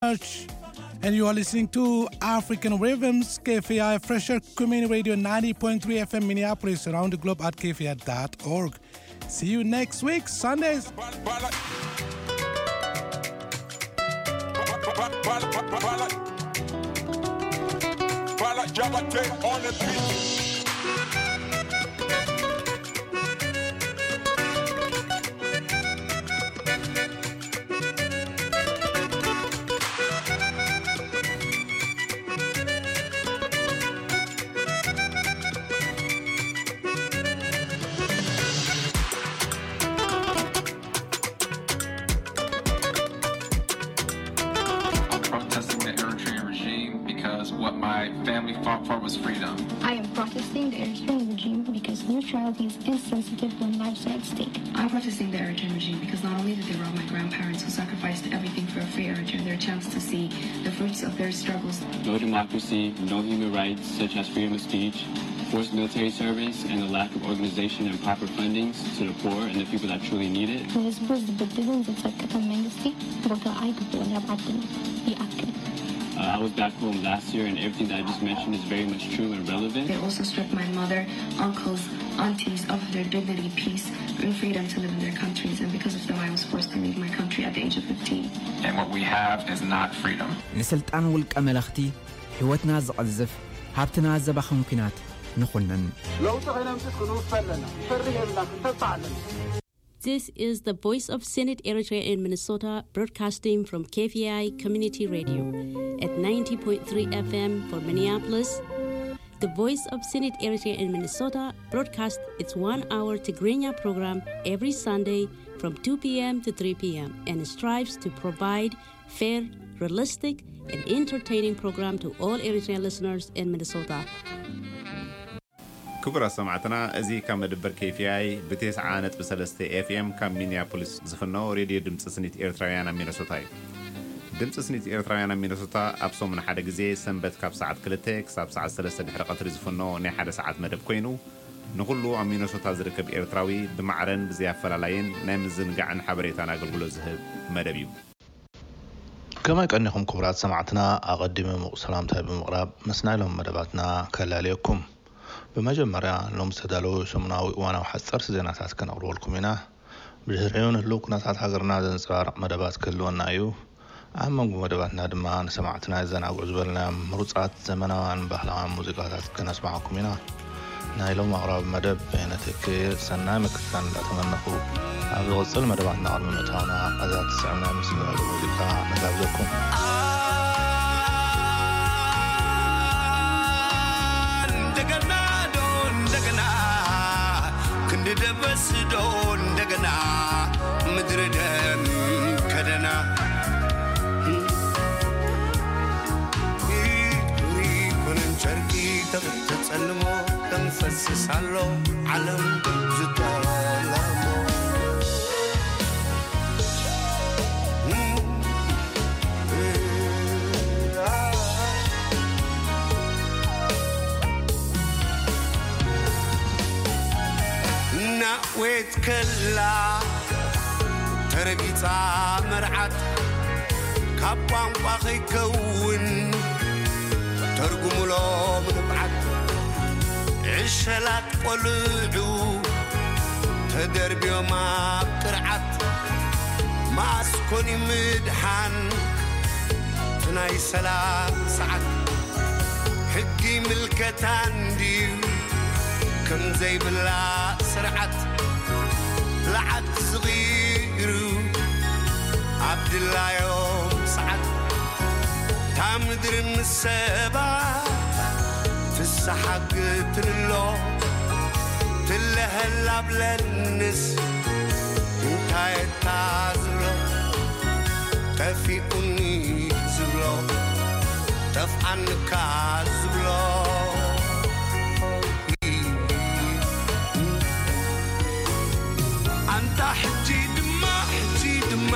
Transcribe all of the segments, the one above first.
Church, and you are listening to African Rhythms, K F A I Fresher Community Radio, ninety point three F M Minneapolis, around the globe at K F A I dot org. See you next week, Sundays. I'm protesting the Eritrean regime because what my family fought for was freedom. I am protesting the Eritrean regime because neutrality is insensitive when lives are at stake. I'm protesting the Eritrean regime because not only did they rob my grandparents who sacrificed everything for a free Eritrea their chance to see the fruits of their struggles. No democracy, no human rights such as freedom of speech, forced military service, and the lack of organization and proper fundings to the poor and the people that truly need it. ንህዝቡ ዝብድልን ዝጸቅጥን መንግስቲ ቦታ ኣይግብኦን ኣብ ዓድና። ይኣክል። Uh, I was back home last year, and everything that I just mentioned is very much true and relevant. They also stripped my mother, uncles, aunties of their dignity, peace, and freedom to live in their countries, and because of them, I was forced to leave my country at the age of fifteen. And what we have is not freedom. ንስልጣን ውልቀ መለኽቲ ሕይወትና ዝቐዝፍ፣ ሃብትና ዘባኽን ኲናት ንኹንን። ለውጢ ከነምጽእ ክንውፈ ኣለና። ክንፈርህ የብልና፣ ክንተብዕ ኣለና። This is the Voice of Senate Eritrea in Minnesota, broadcasting from K F A I Community Radio at ninety point three F M for Minneapolis. The Voice of Senate Eritrea in Minnesota broadcasts its one-hour Tigrinya program every Sunday from two p.m. to three p.m. and strives to provide fair, realistic, and entertaining program to all Eritrean listeners in Minnesota. ክቡራት ሰማዕትና፣ እዚ ካብ መደበር K F A I ብ ተስዓ ነጥቢ ሰለስተ F M ካብ ሚኒያፖሊስ ዝፍኖ ሬድዮ ድምፂ ስኒት ኤርትራውያን ኣብ ሚነሶታ እዩ። ድምፂ ስኒት ኤርትራውያን ኣብ ሚነሶታ ኣብ ሰሙን ሓደ ግዜ ሰንበት ካብ ሰዓት ክልተ ክሳብ ሰዓት ሰለስተ ድሕሪ ቀትሪ ዝፍኖ ናይ ሓደ ሰዓት መደብ ኮይኑ፣ ንኹሉ ኣብ ሚነሶታ ዝርከብ ኤርትራዊ ብማዕረን ብዘይ ኣፈላላይን ናይ ምዝንጋዕን ሓበሬታን ኣገልግሎት ዝህብ መደብ እዩ። ከመይ ቀኒኹም ክቡራት ሰማዕትና፣ ኣቐዲመ ምዉቕ ሰላምታይ ብምቕራብ ምስ ናይ ሎሚ መደባትና ከላልየኩም። ብመጀመርያ ሎም ዝተዳለዉ ሰሙናዊ እዋናዊ ሓጸርቲ ዜናታት ከነቕርበልኩም ኢና። ብድሕሪኡ ንህልው ኩነታት ሃገርና ዘንጸባርቕ መደባት ክህልወና እዩ። ኣብ መንጎ መደባትና ድማ ንሰማዕትና የዘናግዑ ዝበልናዮም ምሩጻት ዘመናውያን ባህላውያን ሙዚቃታት ከነስማዓኩም ኢና። ናይ ሎም ኣቕራቢ መደብ በየነ ተኬ ሰናይ ምክትታል እንዳተመነኹ፣ ኣብ ዝቕጽል መደባትና ቅድሚ ምእታውና እዛ ትስዕብ ናይ ምስጋና ሙዚቃ ንጋብዘኩም። እንደገና ዶ እንደገና ክንዲ ደበስ ዶ እንደገና ምድሪ ደም ከደና ይኩን ጨርቂ ተጸልሞ ተንፈስስ ኣሎ ዓለም ዝጠለሞ ናወት ከላ ተረጊጻ መርዓት ካብ ቋንቋ ከይከውን ተርጉሙሎም ንብዓት ዕሸላት ቆልዑ ተደርብዮም ኣብ ቅርዓት ማስኮኒ ምድሓን ትናይ ሰላም ሰዓት ሕጊ ምልከታ እንድዩ ከም ዘይብላ ስርዓት ብልዓት ዝቕይሩ ኣብ ድላዮም ሰዓት እታ ምድሪ ምስ ሰባ ፍስሓ ግትንሎ ትለሀላብለንስ እንታይ እታ ዝብሎ ጠፊኡኒ ዝብሎ ጠፍኣንካ ዝብሎ ኣንታ ሕጂ ድማ ሕጂ ድማ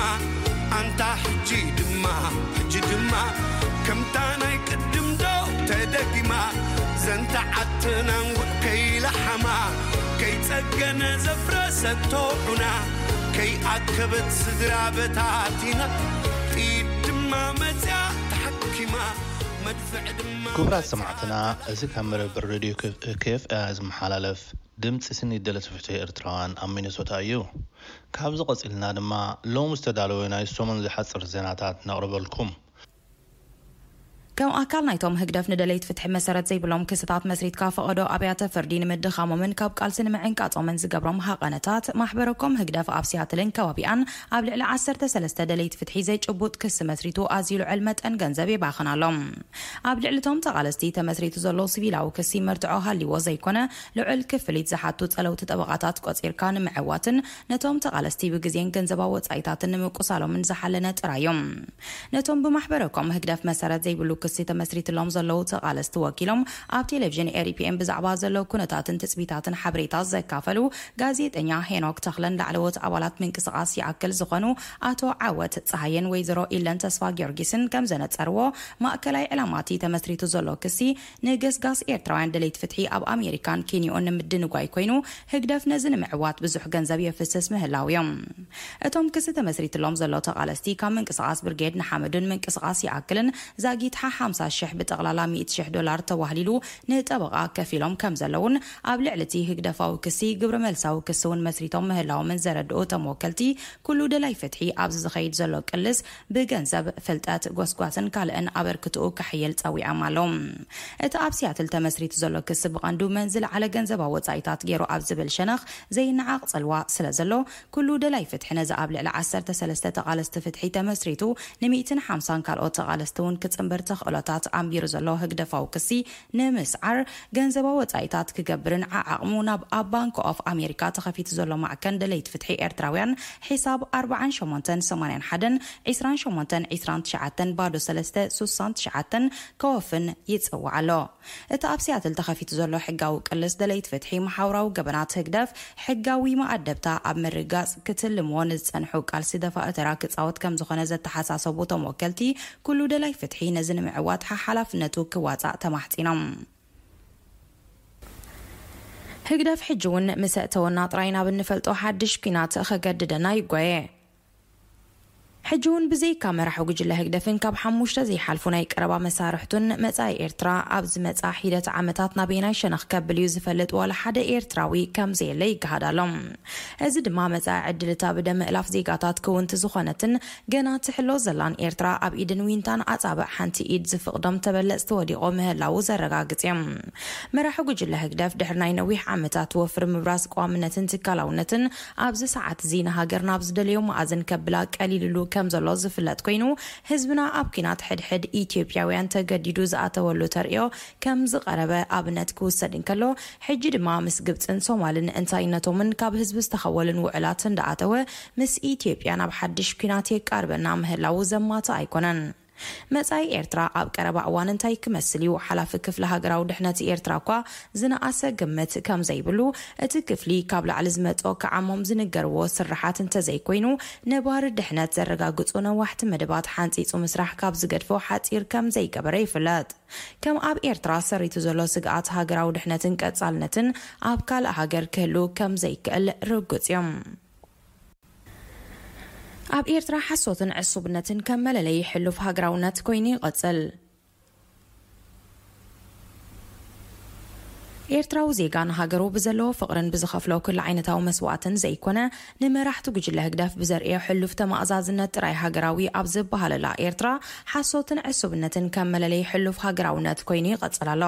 ኣንታ ሕጂ ድማ ሕጂ ድማ ከምታ ናይ ቅድም ዶ ተደጊማ ዘንታ ዓትናን ጉዕ ከይለሓማ ከይጸገነ ዘፍረሰቶ ዑና ከይኣከበት ስድራ በታቲና ጥይት ድማ ማመፅያ ተሓኪማ መድፍዕ ድማ ክቡራት ሰማዕትና፣ እዚ ካብ መደበር ሬድዮ ኬፍ ኤ ዝመሓላለፍ ድምፂ ስኒ ደለይቲ ፍትሒ ኤርትራውያን ኣብ ሚኒሶታ እዩ። ካብዚ ቀፂልና ድማ ሎም ዝተዳለወ ናይ ሰሙን ዝሓፅር ዜናታት ነቕርበልኩም። ከም ኣካል ናይቶም ህግደፍ ንደለይቲ ፍትሒ መሰረት ዘይብሎም ክስታት መስሪትካ፣ ፈቐዶ ኣብያተ ፍርዲ ንምድኻሞምን ካብ ቃልሲ ንምዕንቃጾምን ዝገብሮም ሃቐነታት፣ ማሕበረኮም ህግደፍ ኣብ ሲያትልን ከባቢኣን ኣብ ልዕሊ ዓሰርተ ሰለስተ ደለይቲ ፍትሒ ዘይጭቡጥ ክሲ መስሪቱ ኣዝዩ ልዑል መጠን ገንዘብ የባኽን ኣሎ። ኣብ ልዕሊቶም ተቓለስቲ ተመስሪቱ ዘሎ ሲቪላዊ ክሲ መርትዖ ሃልይዎ ዘይኮነ፣ ልዑል ክፍሊት ዝሓቱ ጸለውቲ ጠበቓታት ቆጺርካ ንምዕዋትን ነቶም ተቓለስቲ ብግዜን ገንዘባዊ ወጻኢታትን ንምቁሳሎምን ዝሓለነ ጥራይ እዮም። ነቶም ብማሕበረኮም ህግደፍ መሰረት ዘይብሉ ክሲ ተመስሪትሎም ዘለዉ ተቓለስቲ ወኪሎም ኣብ ቴሌቪዥን ኤሪፒኤም ብዛዕባ ዘሎ ኩነታትን ትጽቢታትን ሓበሬታ ዘካፈሉ ጋዜጠኛ ሄኖክ ተኽለን ላዕለዎት ኣባላት ምንቅስቓስ ይኣክል ዝኾኑ ኣቶ ዓወት ጸሃየን ወይዘሮ ኢለን ተስፋ ጊዮርጊስን ከም ዘነጸርዎ፣ ማእከላይ ዕላማ እቲ ተመስሪቱ ዘሎ ክሲ ንገስጋስ ኤርትራውያን ደለይቲ ፍትሒ ኣብ ኣሜሪካን ኬንዮን ንምድንጓይ ኮይኑ፣ ህግደፍ ነዚ ንምዕዋት ብዙሕ ገንዘብ የፍስስ ምህላው እዮም። እቶም ክሲ ተመስሪትሎም ዘሎ ተቓለስቲ ካብ ምንቅስቓስ ብርጌድ ንሓመዱን ምንቅስቓስ ይኣክልን ዛጊት ሓ ሓምሳ ሽሕ ብጠቕላላ ሚእቲ ሽሕ ዶላር ተዋህሊሉ ንጠበቓ ከፊሎም ከም ዘለውን ኣብ ልዕሊ እቲ ህግደፋዊ ክሲ ግብረ መልሳዊ ክሲ እውን መስሪቶም ምህላዎምን ዘረድኡ እቶም ወከልቲ፣ ኩሉ ደላይ ፍትሒ ኣብዚ ዝኸይድ ዘሎ ቅልስ ብገንዘብ፣ ፍልጠት፣ ጎስጓስን ካልእን ኣበርክትኡ ከሕይል ጸዊዖም ኣለዉ። እቲ ኣብ ሲያትል ተመስሪቱ ዘሎ ክሲ ብቐንዱ መን ዝለዓለ ገንዘባዊ ወጻኢታት ገይሩ ኣብ ዝብል ሸነኽ ዘይነዓቕ ጽልዋ ስለ ዘሎ፣ ኩሉ ደላይ ፍትሒ ነዚ ኣብ ልዕሊ ዓሰርተ ሰለስተ ተቓለስቲ ፍትሒ ተመስሪቱ ንሚእትን ሓምሳን ካልኦት ተቓለስቲ እውን ክጽንብር ተኽእሎታት ኣንቢሩ ዘሎ ህግደፋዊ ክሲ ንምስዓር ገንዘባዊ ወጻኢታት ክገብርን ዓዓቕሙ ናብ ኣብ ባንክ ኦፍ ኣሜሪካ ተኸፊቱ ዘሎ ማዕከን ደለይቲ ፍትሒ ኤርትራውያን ሒሳብ ኣርባዓን ሸሞንተን ሰማንያን ሓደን ዒስራን ሸሞንተን ዒስራን ትሽዓተን ባዶ ሰለስተ ሱሳን ትሽዓተን ከወፍን ይጽውዕ ኣሎ። እቲ ኣብ ሲያትል ተኸፊቱ ዘሎ ሕጋዊ ቅልስ ደለይቲ ፍትሒ፣ ማሕበራዊ ገበናት ህግደፍ፣ ሕጋዊ መኣደብታ ኣብ ምርጋጽ ክትልምዎ ንዝጸንሑ ቃልሲ ደፋኢ ተራ ክጻወት ከም ዝኾነ ዘተሓሳሰቡ እቶም ወከልቲ፣ ኩሉ ደላይ ፍትሒ ነዚ ንምዕዋት ሓ-፣ ሓላፍነቱ ክዋጻእ ተማሕጺኖም። ህግደፍ ሕጂ እውን ምስ ኣእተወና ጥራይ ናብ እንፈልጦ ሓድሽ ኲናት ከገድደና ይጓየ። ሕጂ እውን ብዘይካ መራሒ ጉጅለ ህግደፍን ካብ ሓሙሽተ ዘይሓልፉ ናይ ቀረባ መሳርሕቱን፣ መጻኢ ኤርትራ ኣብ ዝመጻ ሒደት ዓመታት ናበየናይ ሸነኽ ከብል እዩ ዝፈልጥ ዋላ ሓደ ኤርትራዊ ከም ዘየለ ይገሃድ ኣሎ። እዚ ድማ መጻኢ ዕድል እታ ብደም ምእላፍ ዜጋታት ክውንቲ ዝኾነትን ገና ትሕሎ ዘላን ኤርትራ ኣብ ኢድን ዊንታን ኣጻብዕ ሓንቲ ኢድ ዝፍቕዶም ተበለጽቲ ወዲቖ ምህላዉ ዘረጋግጽ እዩ። መራሒ ጉጅለ ህግደፍ ድሕሪ ናይ ነዊሕ ዓመታት ወፍሪ ምብራስ ቀዋምነትን ትካላውነትን ኣብዚ ሰዓት እዚ ንሃገር ናብ ዝደለዮ መኣዝን ከብላ ቀሊልሉ ከም ዘሎ ዝፍለጥ ኮይኑ፣ ህዝብና ኣብ ኲናት ሕድሕድ ኢትዮጵያውያን ተገዲዱ ዝኣተወሉ ተርእዮ ከም ዝቐረበ ኣብነት ክውሰድ እንከሎ፣ ሕጂ ድማ ምስ ግብጽን ሶማልን እንታይነቶምን ካብ ህዝቢ ዝተኸወልን ውዕላት እንዳኣተወ፣ ምስ ኢትዮጵያ ናብ ሓድሽ ኲናት የቃርበና ምህላዉ ዘማትእ ኣይኮነን። መጻኢ ኤርትራ ኣብ ቀረባ እዋን እንታይ ክመስል እዩ? ሓላፊ ክፍሊ ሃገራዊ ድሕነት ኤርትራ እኳ ዝነኣሰ ግምት ከም ዘይብሉ፣ እቲ ክፍሊ ካብ ላዕሊ ዝመጾ ክዓሞም ዝንገርዎ ስርሓት እንተዘይኮይኑ፣ ነባሪ ድሕነት ዘረጋግጹ ነዋሕቲ መደባት ሓንጺጹ ምስራሕ ካብ ዝገድፎ ሓጺር ከም ዘይገበረ ይፍለጥ። ከም ኣብ ኤርትራ ሰሪቱ ዘሎ ስግኣት ሃገራዊ ድሕነትን ቀጻልነትን ኣብ ካልእ ሃገር ክህሉ ከም ዘይክእል ርጉጽ እዩ። ኣብ ኤርትራ ሓሶትን ዕሱብነትን ከም መለለዪ ሕሉፍ ሃገራውነት ኮይኑ ይቐጽል። ኤርትራዊ ዜጋ ንሃገሩ ብዘለዎ ፍቕርን ብዝኸፍሎ ኩሉ ዓይነታዊ መስዋእትን ዘይኮነ፣ ንመራሕቲ ጉጅለ ህግደፍ ብዘርእዮ ሕሉፍ ተማእዛዝነት ጥራይ ሃገራዊ ኣብ ዝበሃለላ ኤርትራ፣ ሓሶትን ዕሱብነትን ከም መለለዪ ሕሉፍ ሃገራውነት ኮይኑ ይቐጽል ኣሎ።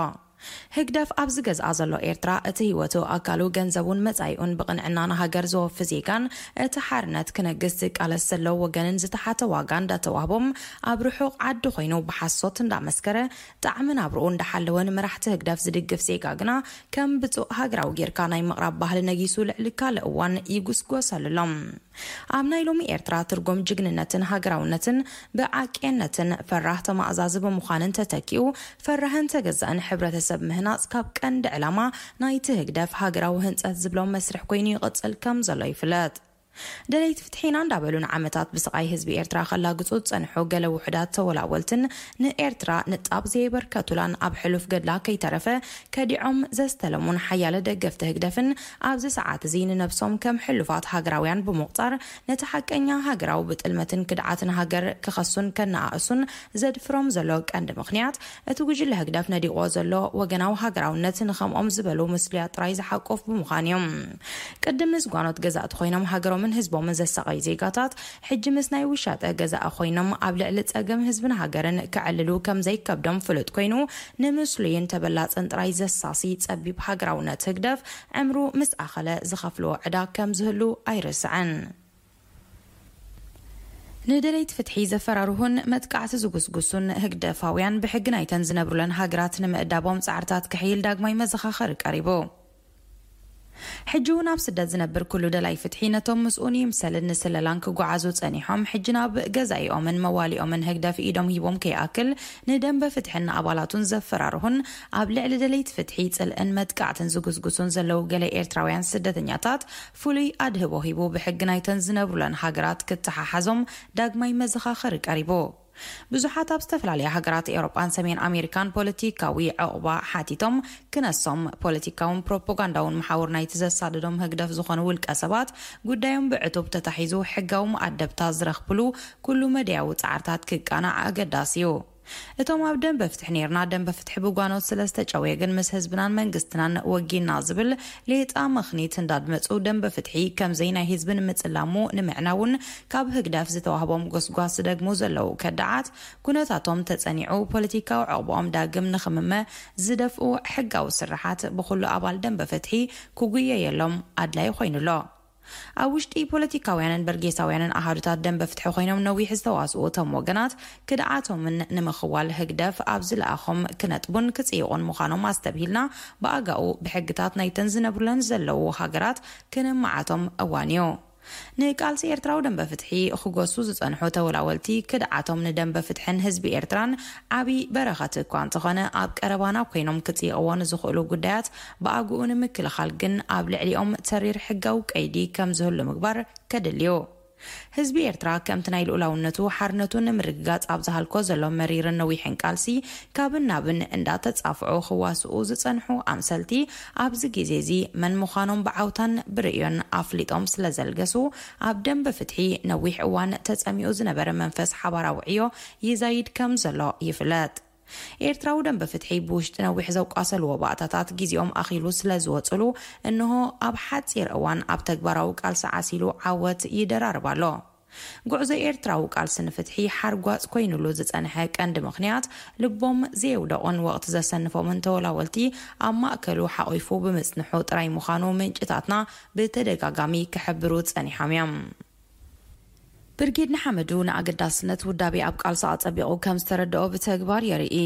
ህግደፍ ኣብ ዝገዝኣ ዘሎ ኤርትራ፣ እቲ ህይወቱ፣ ኣካሉ፣ ገንዘቡን መጻኢኡን ብቕንዕና ንሃገር ዘወፊ ዜጋን፣ እቲ ሓርነት ክነግስ ዝቃለስ ዘሎ ወገንን ዝተሓተ ዋጋ እንዳተዋህቦም፣ ኣብ ርሑቕ ዓዲ ኮይኑ ብሓሶት እንዳመስከረ፣ ጣዕሚ ናብርኡ እንዳሓለወ ንመራሕቲ ህግደፍ ዝድግፍ ዜጋ ግና፣ ከም ብጹእ ሃገራዊ ጌርካ ናይ ምቕራብ ባህሊ ነጊሱ ልዕሊ ካልእ እዋን ይጉስጎሰሉ ኣሎ። ኣብ ናይ ሎሚ ኤርትራ ትርጉም ጅግንነትን ሃገራውነትን ብዓቅየነትን ፈራህ ተማእዛዚ ብምዃንን ተተኪኡ ፈራህን ተገዛእን ሕብረተሰብ ምህናጽ ካብ ቀንዲ ዕላማ ናይቲ ህግደፍ ሃገራዊ ህንጸት ዝብሎ መስርሕ ኮይኑ ይቕጽል ከም ዘሎ ይፍለጥ። ደለይቲ ፍትሒና እንዳበሉ ንዓመታት ብስቓይ ህዝቢ ኤርትራ ከላግጹ ዝጸንሑ ገለ ውሑዳት ተወላወልትን ንኤርትራ ንጣብ ዘየበርከቱላን ኣብ ሕሉፍ ገድላ ከይተረፈ ከዲዖም ዘስተለሙን ሓያለ ደገፍቲ ህግደፍን ኣብዚ ሰዓት እዚ ንነብሶም ከም ሕሉፋት ሃገራውያን ብምቑጻር ነቲ ሓቀኛ ሃገራዊ ብጥልመትን ክድዓትን ሃገር ክኸሱን ከነኣእሱን ዘድፍሮም ዘሎ ቀንዲ ምኽንያት እቲ ጉጅለ ህግደፍ ነዲቕዎ ዘሎ ወገናዊ ሃገራውነት ንኸምኦም ዝበሉ ምስሉያት ጥራይ ዝሓቁፍ ብምዃን እዩ። ቅድም ምስ ጓኖት ገዛእቲ ኮይኖም ሃገሮምን ህዝቦምን ዘሳቐዩ ዜጋታት፣ ሕጂ ምስ ናይ ውሻጠ ገዛኢ ኮይኖም ኣብ ልዕሊ ጸገም ህዝብን ሃገርን ክዕልሉ ከም ዘይከብዶም ፍሉጥ ኮይኑ፣ ንምስሉይን ተበላጽን ጥራይ ዘሳሲ ጸቢብ ሃገራውነት ህግደፍ ዕምሩ ምስ ኣኸለ ዝኸፍልዎ ዕዳ ከም ዝህሉ ኣይርስዕን። ንደለይቲ ፍትሒ ዘፈራርሁን መጥቃዕቲ ዝጉስጉሱን ህግደፋውያን ብሕጊ ናይተን ዝነብሩለን ሃገራት ንምእዳቦም ጻዕርታት ክሕይል ዳግማይ መዘኻኸሪ ቀሪቡ። ሕጂ እውን ኣብ ስደት ዝነብር ኩሉ ደላይ ፍትሒ ነቶም ምስኡን ይምሰልን ንስለላን ክጓዓዙ ጸኒሖም ሕጂ ናብ ገዛኢኦምን መዋሊኦምን ህግደፍ ኢዶም ሂቦም ከይኣክል ንደንበ ፍትሕን ኣባላቱን ዘፈራርሁን ኣብ ልዕሊ ደለይቲ ፍትሒ ጽልእን መጥቃዕትን ዝጉስጉሱን ዘለዉ ገለ ኤርትራውያን ስደተኛታት ፍሉይ ኣድህቦ ሂቡ ብሕጊ ናይተን ዝነብሩለን ሃገራት ክተሓሓዞም ዳግማይ መዘኻኸሪ ቀሪቡ። ብዙሓት ኣብ ዝተፈላለያ ሃገራት ኤውሮጳን ሰሜን ኣሜሪካን ፖለቲካዊ ዕቑባ ሓቲቶም ክነሶም ፖለቲካውን ፕሮፓጋንዳውን መሓውር ናይቲ ዘሳደዶም ህግደፍ ዝኾኑ ውልቀ ሰባት ጉዳዮም ብዕቱብ ተታሒዙ ሕጋዊ መኣደብታ ዝረኽብሉ ኩሉ መደያዊ ጻዕርታት ክቃናዕ ኣገዳሲ እዩ። እቶም ኣብ ደንበ ፍትሒ ነይርና ደንበ ፍትሒ ብጓኖት ስለ ዝተጨውየ ግን ምስ ህዝብናን መንግስትናን ወጊና ዝብል ሌጣ ምኽኒት እንዳድመጹ ደንበ ፍትሒ ከምዘይ ናይ ህዝቢ ንምጽላሙ ንምዕናውን ካብ ህግደፍ ዝተዋህቦም ጎስጓስ ዝደግሙ ዘለዉ ከዳዓት ኩነታቶም ተጸኒዑ ፖለቲካዊ ዕቑብኦም ዳግም ንኽምመ ዝደፍኡ ሕጋዊ ስርሓት ብኹሉ ኣባል ደንበ ፍትሒ ክጉየየሎም ኣድላይ ኮይኑ ኣሎ። ኣብ ውሽጢ ፖለቲካውያንን በርጌሳውያንን ኣሃዱታት ደንበ ፍትሒ ኮይኖም ነዊሕ ዝተዋስኡ እቶም ወገናት ክድዓቶምን ንምኽዋል ህግደፍ ኣብ ዝለኣኾም ክነጥቡን ክጽይቑን ምዃኖም ኣስተብሂልና ብኣጋኡ ብሕግታት ናይተን ዝነብሩለን ዘለዉ ሃገራት ክነማዓቶም እዋን እዩ። ንቃልሲ ኤርትራዊ ደንበ ፍትሒ ክጎሱ ዝጸንሑ ተወላወልቲ ክድዓቶም ንደንበ ፍትሕን ህዝቢ ኤርትራን ዓቢ በረኸት እኳ እንተኾነ ኣብ ቀረባና ኮይኖም ክጽይቕዎ ንዝኽእሉ ጉዳያት ብኣግኡ ንምክልኻል ግን ኣብ ልዕሊኦም ተሪር ሕጋዊ ቀይዲ ከም ዝህሉ ምግባር ከድልዩ። ህዝቢ ኤርትራ ከምቲ ናይ ልኡላውነቱ ሓርነቱ ንምርግጋጽ ኣብ ዝሃልኮ ዘሎ መሪርን ነዊሕን ቃልሲ ካብን ናብን እንዳተጻፍዑ ክዋስኡ ዝጸንሑ ኣምሰልቲ ኣብዚ ግዜ እዚ መን ምዃኖም ብዓውታን ብርእዮን ኣፍሊጦም ስለ ዘልገሱ ኣብ ደንበ ፍትሒ ነዊሕ እዋን ተጸሚኡ ዝነበረ መንፈስ ሓባራዊ ዕዮ ይዛይድ ከም ዘሎ ይፍለጥ። ኤርትራዊ ደንበ ፍትሒ ብውሽጢ ነዊሕ ዘቋሰልዎ ባእታታት ግዜኦም ኣኺሉ ስለ ዝወጽሉ እንሆ ኣብ ሓጺር እዋን ኣብ ተግባራዊ ቃልሲ ዓሲሉ ዓወት ይደራርብ ኣሎ። ጉዕዞ ኤርትራዊ ቃልሲ ንፍትሒ ሓርጓጽ ኮይኑሉ ዝጸንሐ ቀንዲ ምኽንያት ልቦም ዘየውደቑን ወቕቲ ዘሰንፎምን ተወላወልቲ ኣብ ማእከሉ ሓቒፉ ብምጽንሑ ጥራይ ምዃኑ ምንጭታትና ብተደጋጋሚ ክሕብሩ ጸኒሖም እዮም። ብርጌድ ንሓመዱ ንኣገዳስነት ውዳቤ ኣብ ቃልሲ ኣጸቢቑ ከም ዝተረድኦ ብተግባር የርኢ።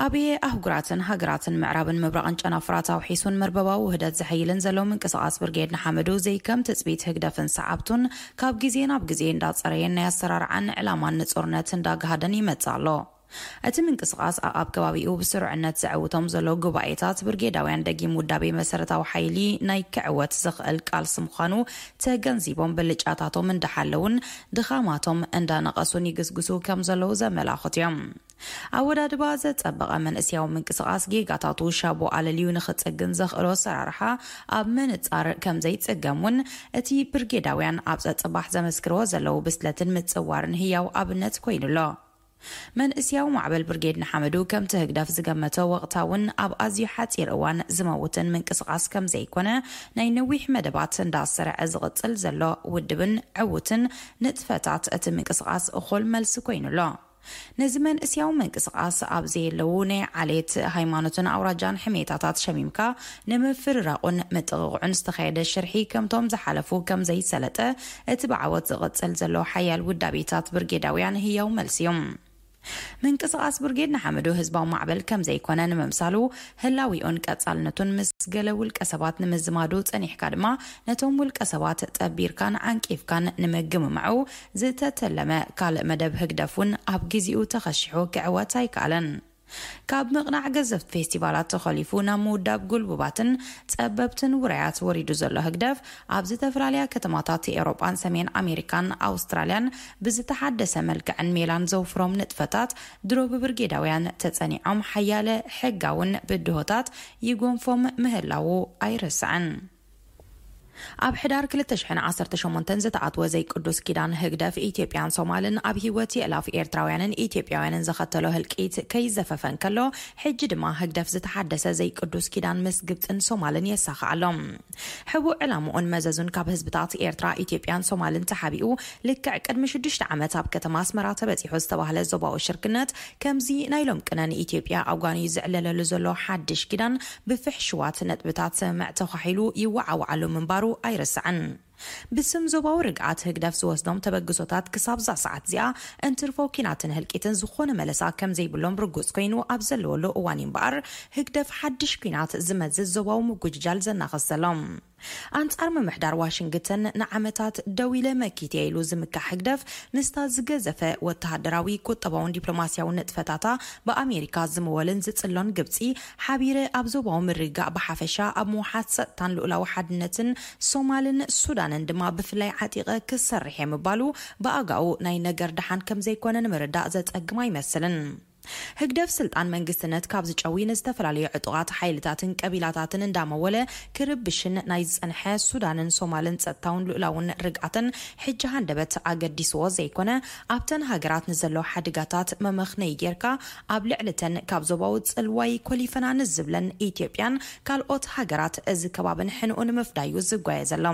ኣብየ ኣህጉራትን ሃገራትን ምዕራብን ምብራቕን ጨናፍራት ኣውሒሱን መርበባዊ ውህደት ዘሐይልን ዘሎ ምንቅስቓስ ብርጌድ ንሓመዱ ዘይከም ትጽቢት ህግደፍን ሰዓብቱን ካብ ግዜ ናብ ግዜ እንዳጸረየን ናይ ኣሰራርዓን ዕላማን ንጹርነት እንዳጋሃደን ይመጽእ ኣሎ። እቲ ምንቅስቓስ ኣብ ከባቢኡ ብስሩዕነት ዘዕውቶም ዘሎ ጉባኤታት ብርጌዳውያን ደጊም ውዳቤ መሰረታዊ ሓይሊ ናይ ክዕወት ዝኽእል ቃልሲ ምዃኑ ተገንዚቦም ብልጫታቶም እንዳሓለውን ድኻማቶም እንዳነቐሱን ይግስግሱ ከም ዘለዉ ዘመላኽቱ እዮም። ኣወዳድባ ዘጸበቐ መንእስያዊ ምንቅስቓስ ጌጋታቱ ሻቡ ኣለልዩ ንኽጽግን ዘኽእሎ ኣሰራርሓ ኣብ ምንጻር ከም ዘይጽገም እውን እቲ ብርጌዳውያን ኣብ ጸጽባሕ ዘመስክርዎ ዘለዉ ብስለትን ምጽዋርን ህያው ኣብነት ኮይኑ ኣሎ። መንእስያዊ ማዕበል ብርጌድ ንሓመዱ ከምቲ ህግደፍ ዝገመቶ ወቕታውን ኣብ ኣዝዩ ሓጺር እዋን ዝመውትን ምንቅስቓስ ከም ዘይኮነ ናይ ነዊሕ መደባት እንዳሰርዐ ዝቕጽል ዘሎ ውድብን ዕዉትን ንጥፈታት እቲ ምንቅስቓስ እኹል መልሲ ኮይኑ ኣሎ። ነዚ መንእስያዊ ምንቅስቓስ ኣብ ዘየለዉ ናይ ዓሌት፣ ሃይማኖትን ኣውራጃን ሕሜታታት ሸሚምካ ንምፍርራቑን ምጥቕቕዑን ዝተኻየደ ሽርሒ ከምቶም ዝሓለፉ ከም ዘይሰለጠ እቲ ብዓወት ዝቕጽል ዘሎ ሓያል ውዳቤታት ብርጌዳውያን ህያው መልሲ እዩ። ምንቅስቓስ ብርጌድ ንሓመዱ ህዝባዊ ማዕበል ከም ዘይኮነ ንምምሳሉ ህላዊኡን ቀጻልነቱን ምስ ገለ ውልቀ ሰባት ንምዝማዱ ጸኒሕካ ድማ ነቶም ውልቀ ሰባት ጠቢርካን ዓንቂፍካን ንምግምማዑ ዝተተለመ ካልእ መደብ ህግደፍ እውን ኣብ ግዜኡ ተኸሺሑ ክዕወት ኣይከኣለን። ካብ ምቕናዕ ገዘፍቲ ፌስቲቫላት ተኸሊፉ ናብ ምውዳብ ጉልቡባትን ጸበብትን ውራያት ወሪዱ ዘሎ ህግደፍ፣ ኣብ ዝተፈላለያ ከተማታት ኤውሮጳን ሰሜን ኣሜሪካን ኣውስትራልያን ብዝተሓደሰ መልክዕን ሜላን ዘውፍሮም ንጥፈታት ድሮ ብብርጌዳውያን ተጸኒዖም፣ ሓያለ ሕጋውን ብድሆታት ይጎንፎም ምህላዉ ኣይርስዕን። ኣብ ሕዳር ክልተ ሽሕን ዓሰርተ ሸሞንተን ዝተኣትወ ዘይቅዱስ ኪዳን ህግደፍ፣ ኢትዮጵያን ሶማልን ኣብ ህይወት የእላፍ ኤርትራውያንን ኢትዮጵያውያንን ዘኸተሎ ህልቂት ከይዘፈፈ እንከሎ፣ ሕጂ ድማ ህግደፍ ዝተሓደሰ ዘይቅዱስ ኪዳን ምስ ግብጽን ሶማልን የሳኽዕ ኣሎ። ሕቡእ ዕላምኡን መዘዙን ካብ ህዝብታት ኤርትራ፣ ኢትዮጵያን ሶማልን ተሓቢኡ፣ ልክዕ ቅድሚ ሽዱሽተ ዓመት ኣብ ከተማ ኣስመራ ተበጺሑ ዝተባህለ ዞባዊ ሽርክነት፣ ከምዚ ናይ ሎም ቅነ ንኢትዮጵያ ኣጓንዩ ዝዕለለሉ ዘሎ ሓድሽ ኪዳን፣ ብፍሕሽዋት ነጥብታት ስምምዕ ተዃሒሉ ይወዓውዓሉ ምንባሩ ኣይርስዕን። ብስም ዞባዊ ርግኣት ህግደፍ ዝወስዶም ተበግሶታት ክሳብ እዛ ሰዓት እዚኣ እንትርፎ ኪናትን ህልቂትን ዝኾነ መለሳ ከም ዘይብሎም ርጉጽ ኮይኑ ኣብ ዘለወሉ እዋን እዩ እምበኣር፣ ህግደፍ ሓድሽ ኲናት ዝመዝዝ ዞባዊ ምጉጅጃል ዘናኽስ ዘሎ። ኣንጻር ምምሕዳር ዋሽንግተን ንዓመታት ደው ኢለ መኪት እየ ኢሉ ዝምካሕ ህግደፍ፣ ምስታ ዝገዘፈ ወተሃደራዊ፣ ቁጠባውን ዲፕሎማስያውን ንጥፈታታ ብኣሜሪካ ዝምወልን ዝጽሎን ግብጺ፣ ሓቢረ ኣብ ዞባዊ ምርግጋእ ብሓፈሻ፣ ኣብ ምውሓስ ጸጥታን ልኡላዊ ሓድነትን ሶማልን ሱዳንን ድማ ብፍላይ ዓጢቐ ክሰርሕ እየ ምባሉ ብኣጋኡ ናይ ነገር ደሓን ከም ዘይኮነ ንምርዳእ ዘጸግም ኣይመስልን። ህግደፍ ስልጣን መንግስትነት ካብ ዝጨዊ፣ ንዝተፈላለዩ ዕጡቓት ሓይልታትን ቀቢላታትን እንዳመወለ ክርብሽን ናይ ዝጸንሐ ሱዳንን ሶማልን ጸጥታውን ልኡላውን ርግኣትን ሕጂ ሃንደበት ኣገዲስዎ ዘይኮነ፣ ኣብተን ሃገራት ንዘለዉ ሓደጋታት መመኽነዪ ጌርካ፣ ኣብ ልዕሊተን ካብ ዞባዊ ጽልዋይ ኮሊፈና ንዝብለን ኢትዮጵያን ካልኦት ሃገራት እዚ ከባብን ሕንኡ ንምፍዳዩ ዝጓየ ዘሎ።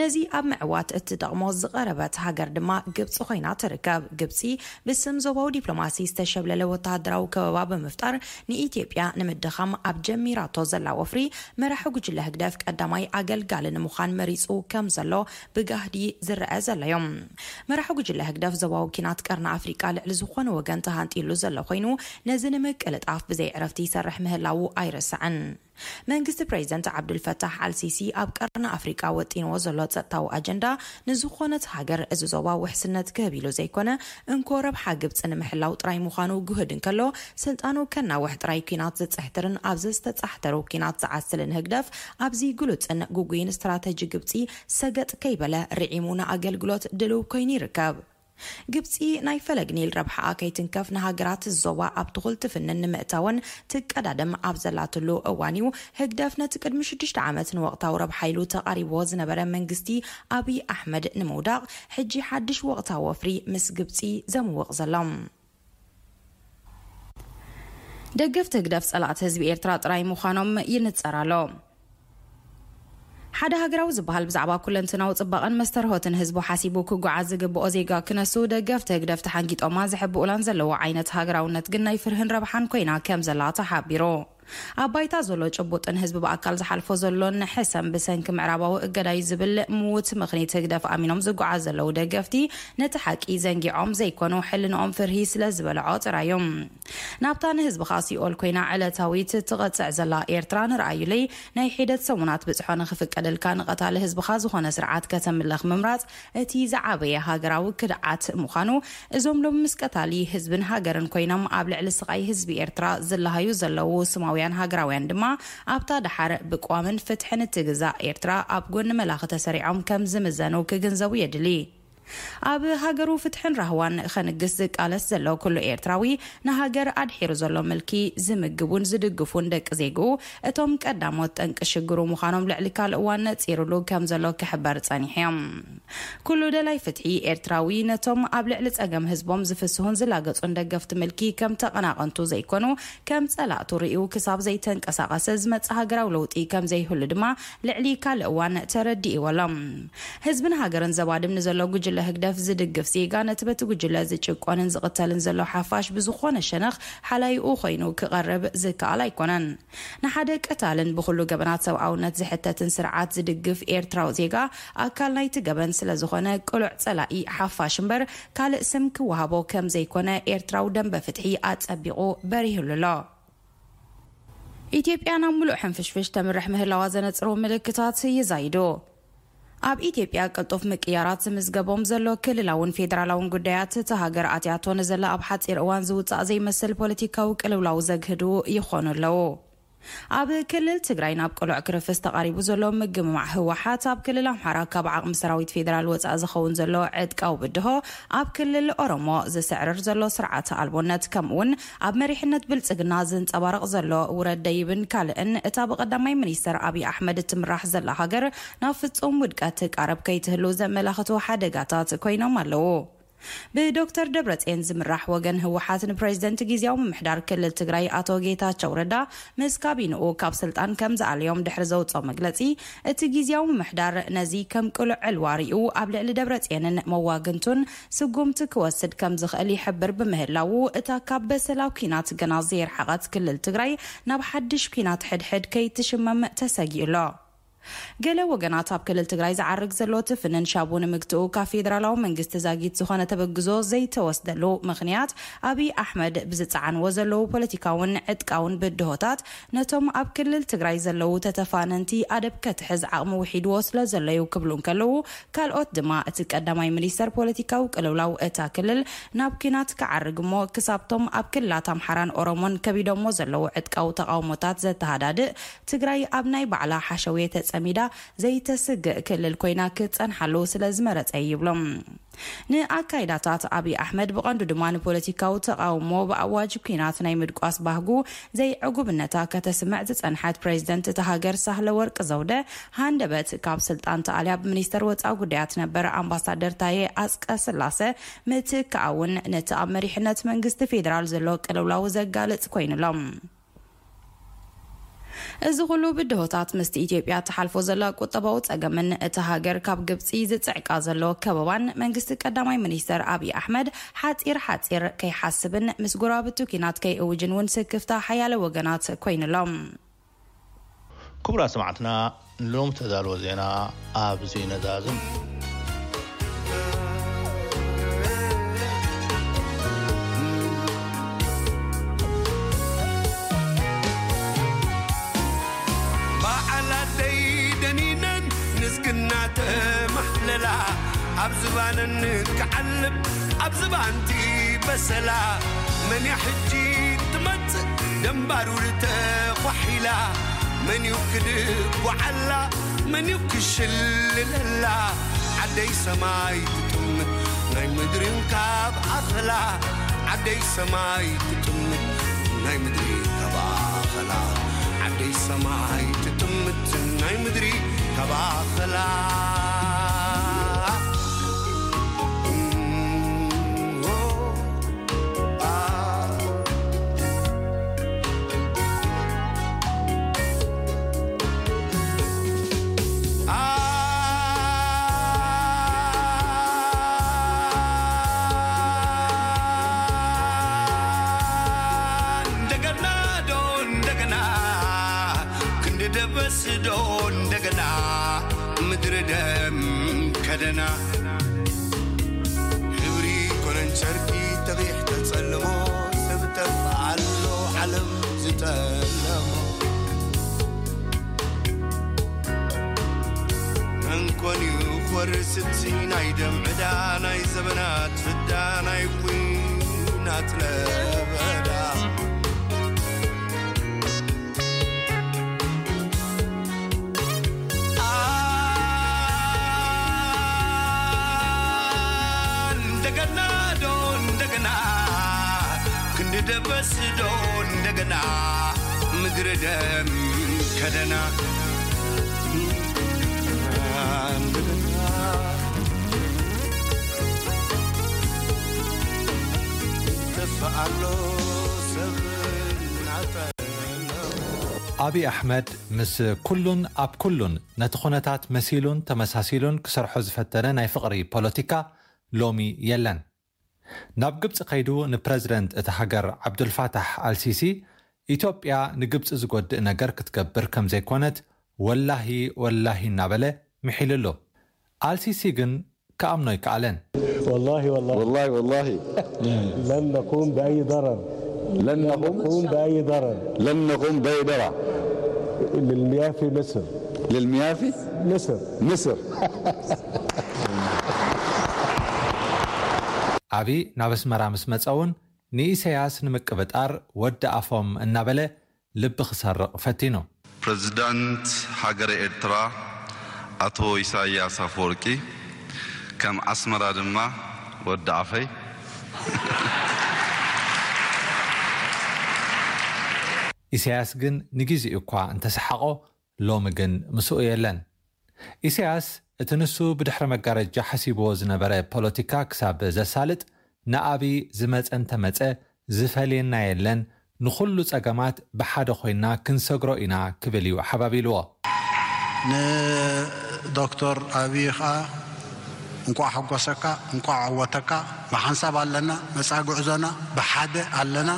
ነዚ ኣብ ምዕዋት እትጠቕሞ ዝቐረበት ሃገር ድማ ግብጺ ኮይና ትርከብ። ግብጺ ብስም ዞባዊ ዲፕሎማሲ ዝተሸብለለ ወተሃደራዊ ከበባ ብምፍጣር ንኢትዮጵያ ንምድኻም ኣብ ጀሚራቶ ዘላ ወፍሪ፣ መራሒ ጉጅለ ህግደፍ ቀዳማይ ኣገልጋሊ ንምዃን መሪጹ ከም ዘሎ ብጋህዲ ዝረአ ዘሎ እዩ። መራሒ ጉጅለ ህግደፍ ዞባዊ ኪናት ቀርኒ ኣፍሪቃ ልዕሊ ዝኾነ ወገን ተሃንጢሉ ዘሎ ኮይኑ፣ ነዚ ንምቅልጣፍ ብዘይ ዕረፍቲ ይሰርሕ ምህላዉ ኣይረሳዕን። መንግስቲ ፕሬዚደንት ዓብዱልፈታሕ ኣልሲሲ ኣብ ቀርኒ ኣፍሪቃ ወጢንዎ ዘሎ ጸጥታዊ ኣጀንዳ ንዝኾነት ሃገር እዚ ዞባ ውሕስነት ክህብ ኢሉ ዘይኮነ፣ እንኮ ረብሓ ግብጺ ንምሕላው ጥራይ ምዃኑ ግሁድ እንከሎ፣ ስልጣኑ ከናውሕ ጥራይ ኲናት ዝጽሕትርን ኣብዚ ዝተጻሕተሩ ኲናት ዝዓስልን ህግደፍ፣ ኣብዚ ግሉጽን ግጉይን ስትራተጂ ግብጺ ሰገጥ ከይበለ ርዒሙ ንኣገልግሎት ድልው ኮይኑ ይርከብ። ግብጺ ናይ ፈለግ ኒል ረብሓኣ ከይትንከፍ ንሃገራት ዞባ ኣብ ትኹል ትፍንን ንምእታወን ትቀዳደም ኣብ ዘላትሉ እዋን እዩ፣ ህግደፍ ነቲ ቅድሚ ሽዱሽተ ዓመት ንወቕታዊ ረብሓ ኢሉ ተቓሪብዎ ዝነበረ መንግስቲ ኣብይ ኣሕመድ ንምውዳቕ፣ ሕጂ ሓድሽ ወቕታዊ ወፍሪ ምስ ግብጺ ዘምውቕ ዘሎ። ደገፍቲ ህግደፍ ጸላእቲ ህዝቢ ኤርትራ ጥራይ ምዃኖም ይንጸር ኣሎ። ሓደ ሃገራዊ ዝበሃል ብዛዕባ ኩለንትናዊ ጽባቐን መስተርሆትን ህዝቡ ሓሲቡ ክጓዓዝ ዝግብኦ ዜጋ ክነሱ፣ ደገፍቲ ህግደፍ ተሓንጊጦማ ዝሕብኡላን ዘለዎ ዓይነት ሃገራውነት ግን ናይ ፍርህን ረብሓን ኮይና ከም ዘላ ተሓቢሩ። ኣብ ባይታ ዘሎ ጭቡጥን ህዝቢ ብኣካል ዝሓልፎ ዘሎን ሕሰም ብሰንኪ ምዕራባዊ እገዳዩ ዝብል ምዉት ምኽኒት ህግደፍ ኣሚኖም ዝጓዓዝ ዘለዉ ደገፍቲ፣ ነቲ ሓቂ ዘንጊዖም ዘይኮኑ፣ ሕልንኦም ፍርሂ ስለ ዝበልዖ ጥራይ እዩ። ናብታ ንህዝብኻ ሲኦል ኮይና ዕለታዊት ትቐጽዕ ዘላ ኤርትራ ንርኣዩለይ። ናይ ሒደት ሰሙናት ብጽሖ ንኽፍቀደልካ ንቐታሊ ህዝብኻ ዝኾነ ስርዓት ከተምልኽ ምምራጽ እቲ ዝዓበየ ሃገራዊ ክድዓት ምዃኑ፣ እዞም ሎሚ ምስ ቀታሊ ህዝብን ሃገርን ኮይኖም ኣብ ልዕሊ ስቓይ ህዝቢ ኤርትራ ዝለሃዩ ዘለዉ ስማውያን ሃገራውያን ድማ ኣብታ ደሓር ብቅዋምን ፍትሕን እትግዛእ ኤርትራ ኣብ ጎኒ መላኺ ተሰሪዖም ከም ዝምዘኑ ክግንዘቡ የድሊ። ኣብ ሃገሩ ፍትሕን ራህዋን ኸንግስ ዝቃለስ ዘሎ ኩሉ ኤርትራዊ፣ ንሃገር ኣድሒሩ ዘሎ ምልኪ ዝምግቡን ዝድግፉን ደቂ ዜግኡ፣ እቶም ቀዳሞት ጠንቂ ሽግሩ ምዃኖም ልዕሊ ካልእ እዋን ነጺሩሉ ከም ዘሎ ክሕበር ጸኒሑ እዮም። ኩሉ ደላይ ፍትሒ ኤርትራዊ፣ ነቶም ኣብ ልዕሊ ጸገም ህዝቦም ዝፍስሁን ዝላገጹን ደገፍቲ ምልኪ ከም ተቐናቐንቱ ዘይኮኑ፣ ከም ጸላእቱ ርእዩ ክሳብ ዘይተንቀሳቐሰ ዝመጽእ ሃገራዊ ለውጢ ከም ዘይህሉ ድማ ልዕሊ ካልእ እዋን ተረዲእዎ ኣሎ። ህዝብን ሃገርን ዘባድም ንዘሎ ጉጅለ ህግደፍ ዝድግፍ ዜጋ፣ ነቲ በቲ ጉጅለ ዝጭቆንን ዝቕተልን ዘሎ ሓፋሽ ብዝኾነ ሸነኽ ሓላይኡ ኮይኑ ክቐርብ ዝከኣል ኣይኮነን። ንሓደ ቀታልን ብኹሉ ገበናት ሰብኣውነት ዝሕተትን ስርዓት ዝድግፍ ኤርትራዊ ዜጋ፣ ኣካል ናይቲ ገበን ስለ ዝኾነ፣ ቅሉዕ ጸላኢ ሓፋሽ እምበር ካልእ ስም ክወሃቦ ከም ዘይኮነ ኤርትራዊ ደንበ ፍትሒ ኣጸቢቑ በሪህሉ ኣሎ። ኢትዮጵያ ናብ ምሉእ ሕንፍሽፍሽ ተምርሕ ምህላዋ ዘነጽሩ ምልክታት ይዛይዱ። ኣብ ኢትዮጵያ ቅልጡፍ ምቅያራት ዝምዝገቦም ዘሎ ክልላውን ፌደራላውን ጉዳያት፣ እታ ሃገር ኣትያቶ ንዘላ ኣብ ሓጺር እዋን ዝውጻእ ዘይመስል ፖለቲካዊ ቅልውላው ዘግህዱ ይኾኑ ኣለዉ። ኣብ ክልል ትግራይ ናብ ቅሉዕ ክርፍስ ተቓሪቡ ዘሎ ምግምማዕ ህወሓት፣ ኣብ ክልል ኣምሓራ ካብ ዓቕሚ ሰራዊት ፌደራል ወጻኢ ዝኸውን ዘሎ ዕጥቃዊ ብድሆ፣ ኣብ ክልል ኦሮሞ ዝስዕርር ዘሎ ስርዓተ ኣልቦነት፣ ከምኡውን ኣብ መሪሕነት ብልጽግና ዝንጸባረቕ ዘሎ ውረድ ደይብን ካልእን፣ እታ ብቐዳማይ ሚኒስተር ኣብይ ኣሕመድ እትምራሕ ዘላ ሃገር ናብ ፍጹም ውድቀት ትቃረብ ከይትህሉ ዘመላኽቱ ሓደጋታት ኮይኖም ኣለዉ። ብዶክተር ደብረጽዮን ዝምራሕ ወገን ህወሓት ንፕሬዝደንት ግዝያዊ ምምሕዳር ክልል ትግራይ ኣቶ ጌታቸው ረዳ ምስ ካቢንኡ ካብ ስልጣን ከም ዝኣለዮም ድሕሪ ዘውፅኦ መግለፂ፣ እቲ ግዝያዊ ምምሕዳር ነዚ ከም ቅሉዕ ዕልዋ ሪኡ ኣብ ልዕሊ ደብረጽዮንን መዋግንቱን ስጉምቲ ክወስድ ከም ዝኽእል ይሕብር ብምህላዉ፣ እታ ካብ በሰላ ኲናት ገና ዘየርሓቐት ክልል ትግራይ ናብ ሓድሽ ኲናት ሕድሕድ ከይትሽመም ተሰጊኡ ኣሎ። ገለ ወገናት ኣብ ክልል ትግራይ ዝዓርግ ዘሎ ትፍንን ሻቡ ንምግትኡ ካብ ፌደራላዊ መንግስቲ ዛጊት ዝኾነ ተበግዞ ዘይተወስደሉ ምኽንያት፣ ኣብይ ኣሕመድ ብዝፀዓንዎ ዘለዉ ፖለቲካውን ዕጥቃውን ብድሆታት ነቶም ኣብ ክልል ትግራይ ዘለዉ ተተፋነንቲ ኣደብ ከትሕዝ ዓቕሚ ውሒድዎ ስለ ዘሎ እዩ ክብሉ እንከለዉ፣ ካልኦት ድማ እቲ ቀዳማይ ሚኒስተር ፖለቲካዊ ቅልውላው እታ ክልል ናብ ኲናት ክዓርግ እሞ ክሳብቶም ኣብ ክልላት ኣምሓራን ኦሮሞን ከቢዶሞ ዘለዉ ዕጥቃዊ ተቓውሞታት ዘተሃዳድእ፣ ትግራይ ኣብ ናይ ባዕላ ሓሸውየ ተጸሚዳ ዘይተስግእ ክልል ኮይና ክትጸንሓሉ ስለ ዝመረጸ እዩ ይብሎም። ንኣካይዳታት ኣብይ ኣሕመድ ብቐንዱ ድማ ንፖለቲካዊ ተቓውሞ ብኣዋጅ ኲናት ናይ ምድቋስ ባህጉ ዘይዕጉብነታ ከተስምዕ ዝጸንሐት ፕሬዝደንት እታ ሃገር ሳህለ ወርቅ ዘውደ ሃንደበት ካብ ስልጣን ተኣልያ ብሚኒስተር ወጻኢ ጉዳያት ነበር ኣምባሳደር ታየ ኣጽቀ ስላሰ ምትክኣ እውን ነቲ ኣብ መሪሕነት መንግስቲ ፌደራል ዘሎ ቅልውላው ዘጋልጽ ኮይኑሎም። እዚ ኩሉ ብድሆታት ምስቲ ኢትዮጵያ ትሓልፎ ዘላ ቁጠባዊ ጸገምን እታ ሃገር ካብ ግብጺ ዝጽዕቃ ዘሎ ከበባን መንግስቲ ቀዳማይ ሚኒስተር ኣብይ ኣሕመድ ሓጺር ሓጺር ከይሓስብን ምስ ጎረባብቱ ኲናት ከይእውጅን እውን ስክፍታ ሓያለ ወገናት ኮይኑሎም። ክቡራት ሰማዕትና፣ ንሎሚ ተዳልወ ዜና ኣብዚ ነዛዝም። በዓል ኣደይ ደኒነን ንዝግና ተማሕለላ፣ ኣብ ዝባነን ክዓልብ ኣብ ዝባንቲ በሰላ። መን እያ ሕጂ ትመጽእ ደንባሩ ተኳሒላ? መን እዩ ክድጉዓላ? መን እዩ ክሽልለላ? ዓደይ ሰማይ ትጥምት ናይ ምድሪ እንካብ ኣኽላ። ዓደይ ሰማይ ትጥምት ናይ ምድሪ ካብ ኣኽላ። ዓደይ ሰማይ ትጥምት ናይ ምድሪ ካብ ኣኽላ። እንደገና ዶ እንደገና ክንዲ ደበስ ዶ እንደገና ምድሪ ደም ከደና። ሕብሪ ኮነን ጨርቂ ተቂሕ ተጸልሞ፣ ሰብ ጠፍኣሎ ዓለም ዝጠለሞ። መንኮን እዩ ክወርስ እቲ ናይ ደም ዕዳ፣ ናይ ዘበናት ፍዳ፣ ናይ ኲናት ለበዳ። እንደገና ዶ እንደገና ክንዲ ደበስ ዶ እንደገና ምድሪ ደም ከደና። እንደገና ተፈኣሎ ሰብ ናተ ኣብይ ኣሕመድ ምስ ኩሉን ኣብ ኩሉን ነቲ ኩነታት መሲሉን ተመሳሲሉን ክሰርሖ ዝፈተነ ናይ ፍቕሪ ፖለቲካ ሎሚ የለን። ናብ ግብጺ ከይዱ ንፕረዚደንት እታ ሃገር ዓብዱልፋታሕ ኣልሲሲ፣ ኢትዮጵያ ንግብጺ ዝጎድእ ነገር ክትገብር ከም ዘይኮነት ወላሂ ወላሂ እናበለ ምሒሉሉ። ኣልሲሲ ግን ክኣምኖ ኣይከኣለን። والله والله والله والله لن نقوم بأي ضرر لن نقوم نقوم بأي ضرر لن نقوم بأي ضرر للمياه في مصر. للميافي مصر. مصر. ኣቢ ናብ ኣስመራ ምስ መጸ እውን ንኢሳያስ ንምቅብጣር ወዲ ኣፎም እናበለ ልቢ ክሰርቕ ፈቲኑ። ፕሬዝዳንት ሃገረ ኤርትራ ኣቶ ኢሳያስ ኣፈወርቂ ከም ኣስመራ ድማ ወዲ ኣፈይ። ኢሳያስ ግን ንግዜኡ እኳ እንተሰሓቖ፣ ሎሚ ግን ምስኡ የለን። ኢሳያስ እቲ ንሱ ብድሕሪ መጋረጃ ሓሲብዎ ዝነበረ ፖለቲካ ክሳብ ዘሳልጥ፣ ንኣቢ ዝመጸ እንተመጸ ዝፈልየና የለን፣ ንኹሉ ጸገማት ብሓደ ኮይና ክንሰግሮ ኢና ክብል እዩ ሓባቢልዎ። ንዶክተር ኣብይ ኸኣ እንቋዕ ሓጎሰካ፣ እንቋዕ ዓወተካ። ብሓንሳብ ኣለና፣ መጻኢ ጉዕዞና ብሓደ ኣለና።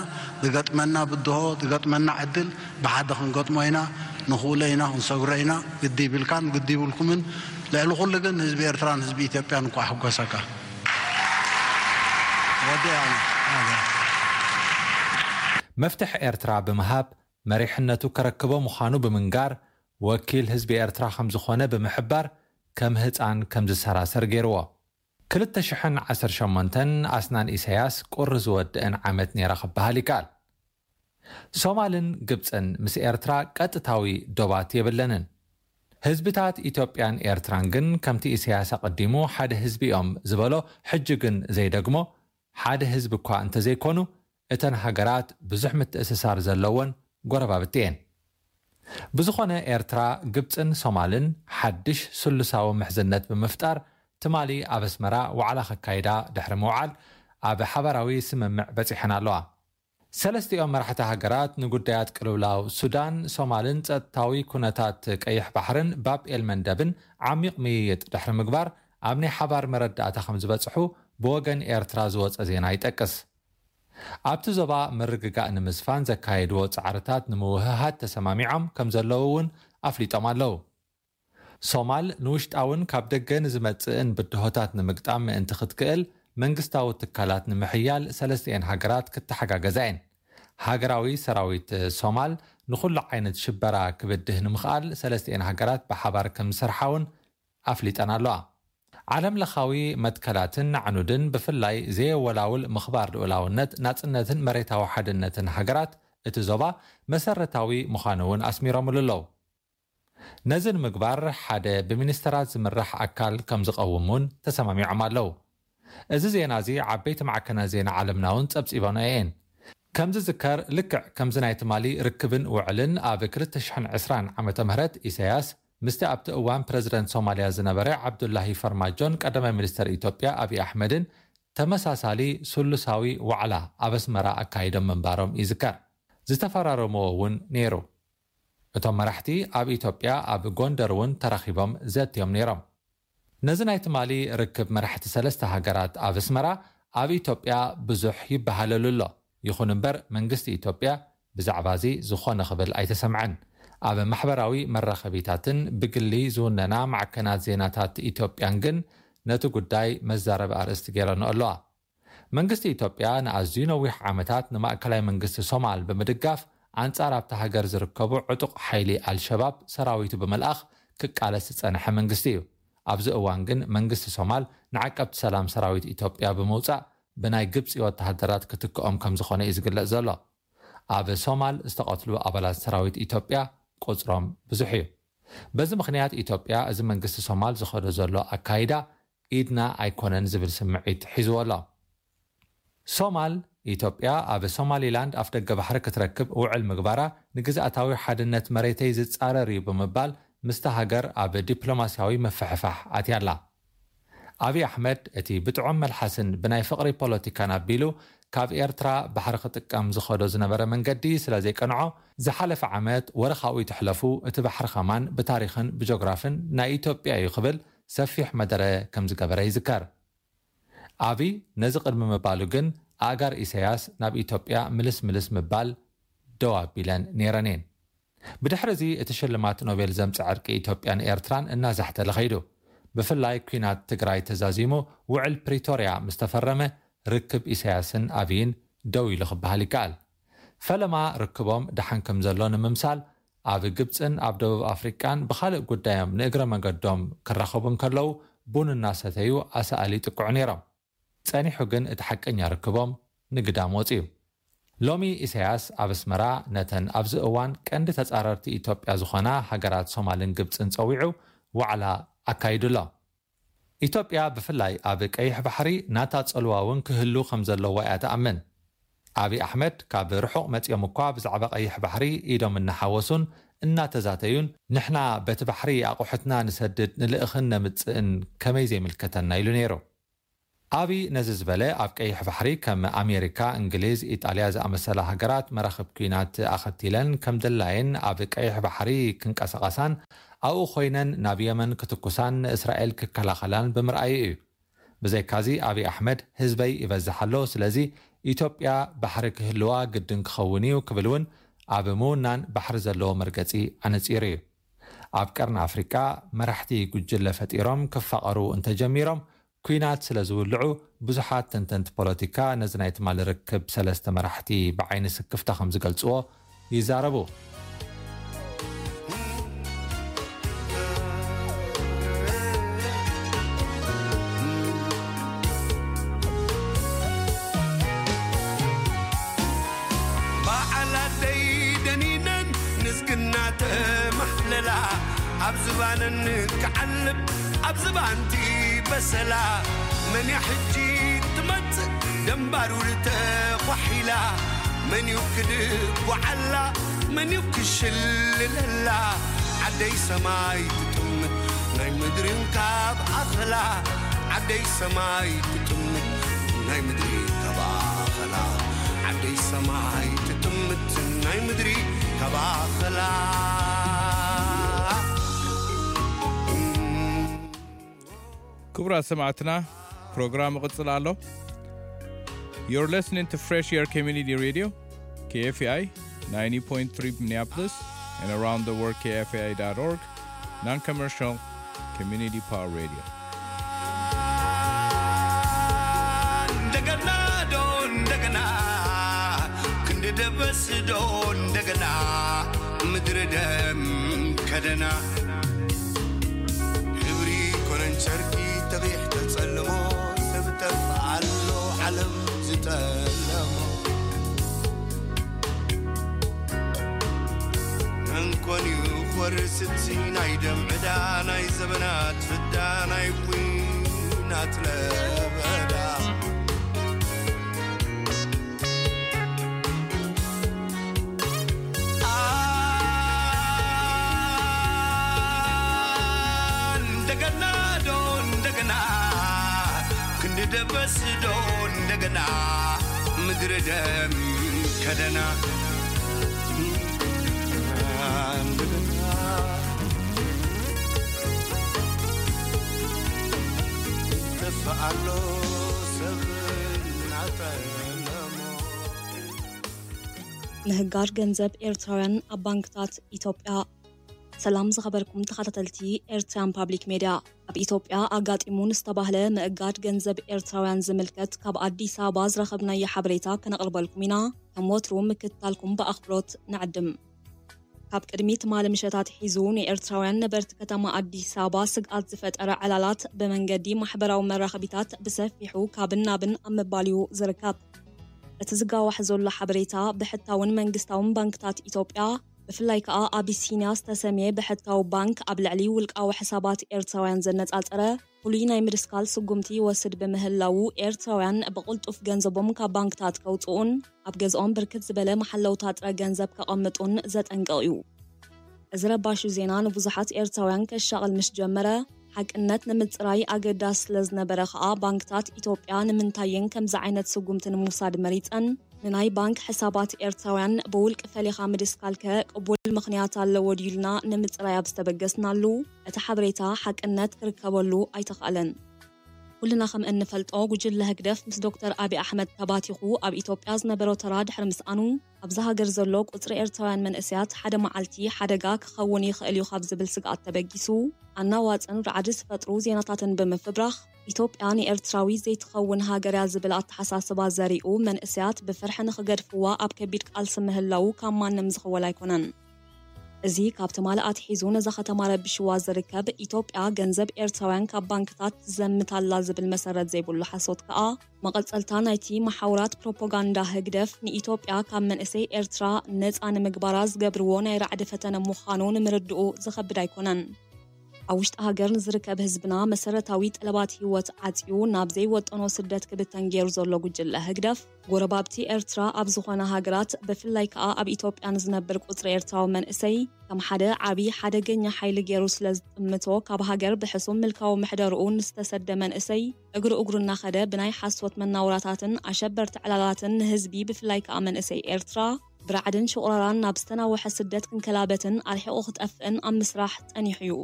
ዝገጥመና ብድሆ፣ ዝገጥመና ዕድል ብሓደ ክንገጥሞ ኢና፣ ንኽእሎ ኢና፣ ክንሰግሮ ኢና። ግዲ ይብልካን ግዲ ይብልኩምን። ልዕሊ ኩሉ ግን ህዝቢ ኤርትራን ህዝቢ ኢትዮጵያን እንቋዕ ሓጎሰካ። ወዲኣ። መፍትሕ ኤርትራ ብምሃብ መሪሕነቱ ከረክቦ ምዃኑ ብምንጋር፣ ወኪል ህዝቢ ኤርትራ ከም ዝኾነ ብምሕባር፣ ከም ህጻን ከም ዝሰራሰር ገይርዎ። ክልተ ሽሕን ዓሰርተ ሸሞንተን ኣስናን ኢሳያስ ቁሪ ዝወድእን ዓመት ነይራ ክበሃል ይከኣል። ሶማልን ግብጽን ምስ ኤርትራ ቀጥታዊ ዶባት የብለንን። ህዝብታት ኢትዮጵያን ኤርትራን ግን ከምቲ ኢሳያስ ኣቐዲሙ ሓደ ህዝቢ እዮም ዝበሎ፣ ሕጂ ግን ዘይደግሞ፣ ሓደ ህዝቢ እኳ እንተዘይኮኑ፣ እተን ሃገራት ብዙሕ ምትእስሳር ዘለወን ጎረባብቲ እየን። ብዝኾነ፣ ኤርትራ፣ ግብጽን ሶማልን ሓድሽ ስሉሳዊ ምሕዝነት ብምፍጣር፣ ትማሊ ኣብ ኣስመራ ዋዕላ ከካይዳ ድሕሪ ምውዓል፣ ኣብ ሓባራዊ ስምምዕ በጺሐን ኣለዋ። ሰለስቲኦም መራሕቲ ሃገራት ንጉዳያት ቅልውላው ሱዳን፣ ሶማልን ጸጥታዊ ኩነታት ቀይሕ ባሕርን ባብ ኤል መንደብን ዓሚቕ ምይይጥ ድሕሪ ምግባር፣ ኣብ ናይ ሓባር መረዳእታ ከም ዝበጽሑ ብወገን ኤርትራ ዝወጸ ዜና ይጠቅስ። ኣብቲ ዞባ ምርግጋእ ንምስፋን ዘካየድዎ ጻዕርታት ንምውህሃድ ተሰማሚዖም ከም ዘለዉ እውን ኣፍሊጦም ኣለዉ። ሶማል ንውሽጣውን ካብ ደገ ንዝመጽእን ብድሆታት ንምግጣም ምእንቲ ክትክእል፣ መንግስታዊ ትካላት ንምሕያል ሰለስቲኤን ሃገራት ክተሓጋገዛ እየን። ሃገራዊ ሰራዊት ሶማል ንኹሉ ዓይነት ሽበራ ክብድህ ንምኽኣል ሰለስቲኤን ሃገራት ብሓባር ከም ዝሰርሓ እውን ኣፍሊጠን ኣለዋ። ዓለም ለኻዊ መትከላትን ኣዕኑድን፣ ብፍላይ ዘየወላውል ምኽባር ልኡላውነት፣ ናጽነትን መሬታዊ ሓድነትን ሃገራት እቲ ዞባ መሰረታዊ ምዃኑ እውን ኣስሚሮምሉ ኣለዉ። ነዚ ንምግባር ሓደ ብሚኒስተራት ዝምራሕ ኣካል ከም ዝቐውም እውን ተሰማሚዖም ኣለዉ። እዚ ዜና እዚ ዓበይቲ ማዕከናት ዜና ዓለምና እውን ጸብጺበንኦ እየን። ከም ዝዝከር፣ ልክዕ ከምዚ ናይ ትማሊ ርክብን ውዕልን፣ ኣብ ክልተ ሽሕን ዕስራን ዓመተ ምህረት ኢሳያስ ምስቲ ኣብቲ እዋን ፕረዚደንት ሶማልያ ዝነበረ ዓብዱላሂ ፈርማጆን ቀዳማይ ሚኒስተር ኢትዮጵያ ኣብይ ኣሕመድን ተመሳሳሊ ስሉሳዊ ዋዕላ ኣብ ኣስመራ ኣካይዶም ምንባሮም ይዝከር። ዝተፈራረምዎ እውን ነይሩ። እቶም መራሕቲ ኣብ ኢትዮጵያ ኣብ ጎንደር እውን ተራኺቦም ዘትዮም ነይሮም። ነዚ ናይ ትማሊ ርክብ መራሕቲ ሰለስተ ሃገራት ኣብ ኣስመራ ኣብ ኢትዮጵያ ብዙሕ ይበሃለሉ ኣሎ። ይኹን እምበር መንግስቲ ኢትዮጵያ ብዛዕባ እዚ ዝኾነ ክብል ኣይተሰምዐን። ኣብ ማሕበራዊ መራኸቢታትን ብግሊ ዝውነና ማዕከናት ዜናታት ኢትዮጵያን ግን ነቲ ጉዳይ መዛረቢ ኣርእስቲ ገይረንኦ ኣለዋ። መንግስቲ ኢትዮጵያ ንኣዝዩ ነዊሕ ዓመታት ንማእከላይ መንግስቲ ሶማል ብምድጋፍ ኣንጻር ኣብታ ሃገር ዝርከቡ ዕጡቕ ሓይሊ ኣልሸባብ ሰራዊቱ ብምልኣኽ ክቃለስ ዝጸንሐ መንግስቲ እዩ። ኣብዚ እዋን ግን መንግስቲ ሶማል ንዓቀብቲ ሰላም ሰራዊት ኢትዮጵያ ብምውጻእ ብናይ ግብጺ ወተሃደራት ክትክኦም ከም ዝኾነ እዩ ዝግለጽ ዘሎ። ኣብ ሶማል ዝተቐትሉ ኣባላት ሰራዊት ኢትዮጵያ ቁጽሮም ብዙሕ እዩ። በዚ ምኽንያት ኢትዮጵያ እዚ መንግስቲ ሶማል ዝኸዶ ዘሎ ኣካይዳ ኢድና ኣይኮነን ዝብል ስምዒት ሒዝዎ ኣሎ። ሶማል፣ ኢትዮጵያ ኣብ ሶማሊላንድ ኣፍደገ ባሕሪ ክትረክብ ውዕል ምግባራ ንግዝኣታዊ ሓድነት መሬተይ ዝጻረር እዩ ብምባል ምስታ ሃገር ኣብ ዲፕሎማስያዊ ምፍሕፋሕ ኣትያ ኣላ። ኣብይ ኣሕመድ እቲ ብጥዑም መልሓስን ብናይ ፍቕሪ ፖለቲካን ኣቢሉ ካብ ኤርትራ ባሕሪ ክጥቀም ዝኸዶ ዝነበረ መንገዲ ስለ ዘይቀንዖ፣ ዝሓለፈ ዓመት ወረ ካብኡ ይትሕለፉ እቲ ባሕሪ ከማን ብታሪኽን ብጆግራፍን ናይ ኢትዮጵያ እዩ ክብል ሰፊሕ መደረ ከም ዝገበረ ይዝከር። ኣብይ ነዚ ቅድሚ ምባሉ ግን ኣእጋር ኢሳያስ ናብ ኢትዮጵያ ምልስ ምልስ ምባል ደው ኣቢለን ነይረን እየን። ብድሕሪ እዚ እቲ ሽልማት ኖቤል ዘምጽእ ዕርቂ ኢትዮጵያን ኤርትራን እናዛሕተለ ኸይዱ። ብፍላይ ኲናት ትግራይ ተዛዚሙ ውዕል ፕሪቶርያ ምስ ተፈረመ ርክብ ኢሳያስን ኣብይን ደው ኢሉ ክበሃል ይከኣል። ፈለማ ርክቦም ደሓን ከም ዘሎ ንምምሳል ኣብ ግብጽን ኣብ ደቡብ ኣፍሪቃን ብኻልእ ጉዳዮም ንእግረ መገዶም ክራኸቡ እንከለዉ ቡን እናሰተዩ ኣሳእል ይጥቅዑ ነይሮም። ጸኒሑ ግን እቲ ሓቀኛ ርክቦም ንግዳም ወጺኡ። ሎሚ ኢሳያስ ኣብ ኣስመራ ነተን ኣብዚ እዋን ቀንዲ ተጻረርቲ ኢትዮጵያ ዝኾና ሃገራት ሶማልን ግብጽን ጸዊዑ ዋዕላ ኣካይዱ ኣሎ። ኢትዮጵያ ብፍላይ ኣብ ቀይሕ ባሕሪ ናታ ጽልዋ እውን ክህሉ ከም ዘለዎ እያ ትኣምን። ኣብይ ኣሕመድ ካብ ርሑቕ መጺኦም እኳ ብዛዕባ ቀይሕ ባሕሪ ኢዶም እናሓወሱን እናተዛተዩን፣ ንሕና በቲ ባሕሪ ኣቑሑትና ንሰድድ ንልእኽን ነምጽእን ከመይ ዘይምልከተና ኢሉ ነይሩ። ኣብይ ነዚ ዝበለ ኣብ ቀይሕ ባሕሪ ከም ኣሜሪካ፣ እንግሊዝ፣ ኢጣልያ ዝኣመሰላ ሃገራት መራኽብ ኲናት ኣኸቲለን ከም ድላየን ኣብ ቀይሕ ባሕሪ ክንቀሳቐሳን ኣብኡ ኮይነን ናብ የመን ክትኩሳን ንእስራኤል ክከላኸላን ብምርኣዩ እዩ። ብዘይካዚ ኣብይ ኣሕመድ ህዝበይ ይበዝሕ ኣሎ፣ ስለዚ ኢትዮጵያ ባሕሪ ክህልዋ ግድን ክኸውን እዩ ክብል እውን ኣብ ምውናን ባሕሪ ዘለዎ መርገጺ ኣነጺሩ እዩ። ኣብ ቀርኒ ኣፍሪቃ መራሕቲ ጉጅለ ፈጢሮም ክፋቐሩ እንተጀሚሮም ኲናት ስለ ዝውልዑ ብዙሓት ተንተንቲ ፖለቲካ ነዚ ናይ ትማሊ ርክብ ሰለስተ መራሕቲ ብዓይኒ ስክፍታ ከም ዝገልጽዎ ይዛረቡ። በዓል ኣደይ ደኒነን ንዝግና ተማሕለላ ኣብ ዝባነን ክዓልብ ኣብ ዝባንቲ በሰላ መን እያ ሕጂ ትመጽእ ደንባሩ ተኳሒላ መን እዩ ክድጓዓላ መን እዩ ክሽልለላ ዓደይ ሰማይ ትጥምት ናይ ምድርን ካብ ኣኸላ ዓደይ ሰማይ ትጥምት ናይ ምድሪ ካብ ኣኸላ ዓደይ ሰማይ ትጥምት ናይ ምድሪ ካብ ኣኸላ ክቡራት ሰማዕትና ፕሮግራም ይቕጽል ኣሎ። You're listening to Fresh Air Community Radio, K F A I, ninety point three Minneapolis, and around the world, K F A I dot org, non-commercial community power radio. እንደገና ዶ እንደገና ክንዲ ደበስ ዶ እንደገና ምድሪ ደም ከደና ክብሪ ኮነን ጨርቂ ተብሕ ተጸልሞ ሰብ ጠፍኣሎ ዓለም ዝጠለሞ እንኮን እዩ ክወርስ እቲ ናይ ደም ዕዳ ናይ ዘበናት ፍዳ ናይ ዊናት ለበዳ እንደገና ዶ እንደገና ክንዲ ደበስ ዶ እንደገና ምድሪ ደም ከደና እንደገና ተፈኣሎ ሰብ እናጠለሞ ምህጋድ ገንዘብ ኤርትራውያን ኣብ ባንክታት ኢትዮጵያ። ሰላም ዝኸበርኩም ተኸታተልቲ ኤርትራን ፓብሊክ ሜድያ። ኣብ ኢትዮጵያ ኣጋጢሙ ንዝተባህለ ምእጋድ ገንዘብ ኤርትራውያን ዝምልከት ካብ ኣዲስ ኣበባ ዝረኸብናዮ ሓበሬታ ከነቕርበልኩም ኢና። ከም ወትሩ ምክትታልኩም ብኣኽብሮት ንዕድም። ካብ ቅድሚ ትማሊ ምሸት ኣትሒዙ ንኤርትራውያን ነበርቲ ከተማ ኣዲስ ኣበባ ስግኣት ዝፈጠረ ዕላላት ብመንገዲ ማሕበራዊ መራኸቢታት ብሰፊሑ ካብን ናብን ኣብ ምባል እዩ ዝርከብ። እቲ ዝጋዋሕ ዘሎ ሓበሬታ ብሕታውን መንግስታውን ባንክታት ኢትዮጵያ ብፍላይ ከኣ ኣቢሲንያ ዝተሰምየ ብሕታዊ ባንክ ኣብ ልዕሊ ውልቃዊ ሕሳባት ኤርትራውያን ዘነጻጸረ ፍሉይ ናይ ምድስካል ስጉምቲ ይወስድ ብምህላዉ ኤርትራውያን ብቕልጡፍ ገንዘቦም ካብ ባንክታት ከውጽኡን ኣብ ገዝኦም ብርክት ዝበለ መሓለውታ ጥረ ገንዘብ ከቐምጡን ዘጠንቅቕ እዩ። እዚ ረባሺ ዜና ንብዙሓት ኤርትራውያን ከሻቕል ምስ ጀመረ ሓቅነት ንምጽራይ ኣገዳሲ ስለ ዝነበረ ከኣ ባንክታት ኢትዮጵያ ንምንታየን ከምዚ ዓይነት ስጉምቲ ንምውሳድ መሪጸን ንናይ ባንክ ሕሳባት ኤርትራውያን ብውልቂ ፈሊኻ ምድስካልከ ቅቡል ምኽንያት ኣለዎ ድዩ ኢልና ንምጽራይ ኣብ ዝተበገስናሉ እቲ ሓበሬታ ሓቅነት ክርከበሉ ኣይተኻእለን። ኩልና ከም እንፈልጦ ጉጅለ ህግደፍ ምስ ዶክተር ኣብይ ኣሕመድ ተባቲኹ ኣብ ኢትዮጵያ ዝነበሮ ተራ ድሕሪ ምስኣኑ ኣብዚ ሃገር ዘሎ ቁፅሪ ኤርትራውያን መንእሰያት ሓደ መዓልቲ ሓደጋ ክኸውን ይኽእል እዩ ካብ ዝብል ስግኣት ተበጊሱ ኣናዋፅን ራዕዲ ዝፈጥሩ ዜናታትን ብምፍብራኽ ኢትዮጵያ ንኤርትራዊ ዘይትኸውን ሃገር እያ ዝብል ኣተሓሳስባ ዘሪኡ መንእሰያት ብፍርሒ ንኽገድፍዋ ኣብ ከቢድ ቃልሲ ምህላዉ ካብ ማንም ዝኽወል ኣይኮነን። እዚ ካብ ትማሊ ኣትሒዙ ነዛ ከተማ ረቢሽዋ ዝርከብ፣ ኢትዮጵያ ገንዘብ ኤርትራውያን ካብ ባንክታት ትዘምት ኣላ ዝብል መሰረት ዘይብሉ ሓሶት ከኣ፣ መቐጸልታ ናይቲ መሓውራት ፕሮፓጋንዳ ህግደፍ፣ ንኢትዮጵያ ካብ መንእሰይ ኤርትራ ነጻ ንምግባራ ዝገብርዎ ናይ ራዕዲ ፈተነ ምዃኑ ንምርድኡ ዝኸብድ ኣይኮነን። ኣብ ውሽጢ ሃገር ንዝርከብ ህዝብና መሰረታዊ ጠለባት ህይወት ዓጽዩ ናብ ዘይወጠኖ ስደት ክብተን ገይሩ ዘሎ ጉጅለ ህግደፍ፣ ጎረባብቲ ኤርትራ ኣብ ዝኾነ ሃገራት፣ ብፍላይ ከኣ ኣብ ኢትዮጵያ ንዝነብር ቁጽሪ ኤርትራዊ መንእሰይ ከም ሓደ ዓቢ ሓደገኛ ሓይሊ ገይሩ ስለ ዝጥምቶ፣ ካብ ሃገር ብሕሱም ምልካዊ ምሕደርኡ ንዝተሰደ መንእሰይ እግሪ እግሩ እናኸደ ብናይ ሓሶት መናውራታትን ኣሸበርቲ ዕላላትን ንህዝቢ፣ ብፍላይ ከኣ መንእሰይ ኤርትራ፣ ብራዕድን ሽቑራራን ናብ ዝተናወሐ ስደት ክንከላበትን ኣርሒቑ ክጠፍእን ኣብ ምስራሕ ጸኒሑ እዩ።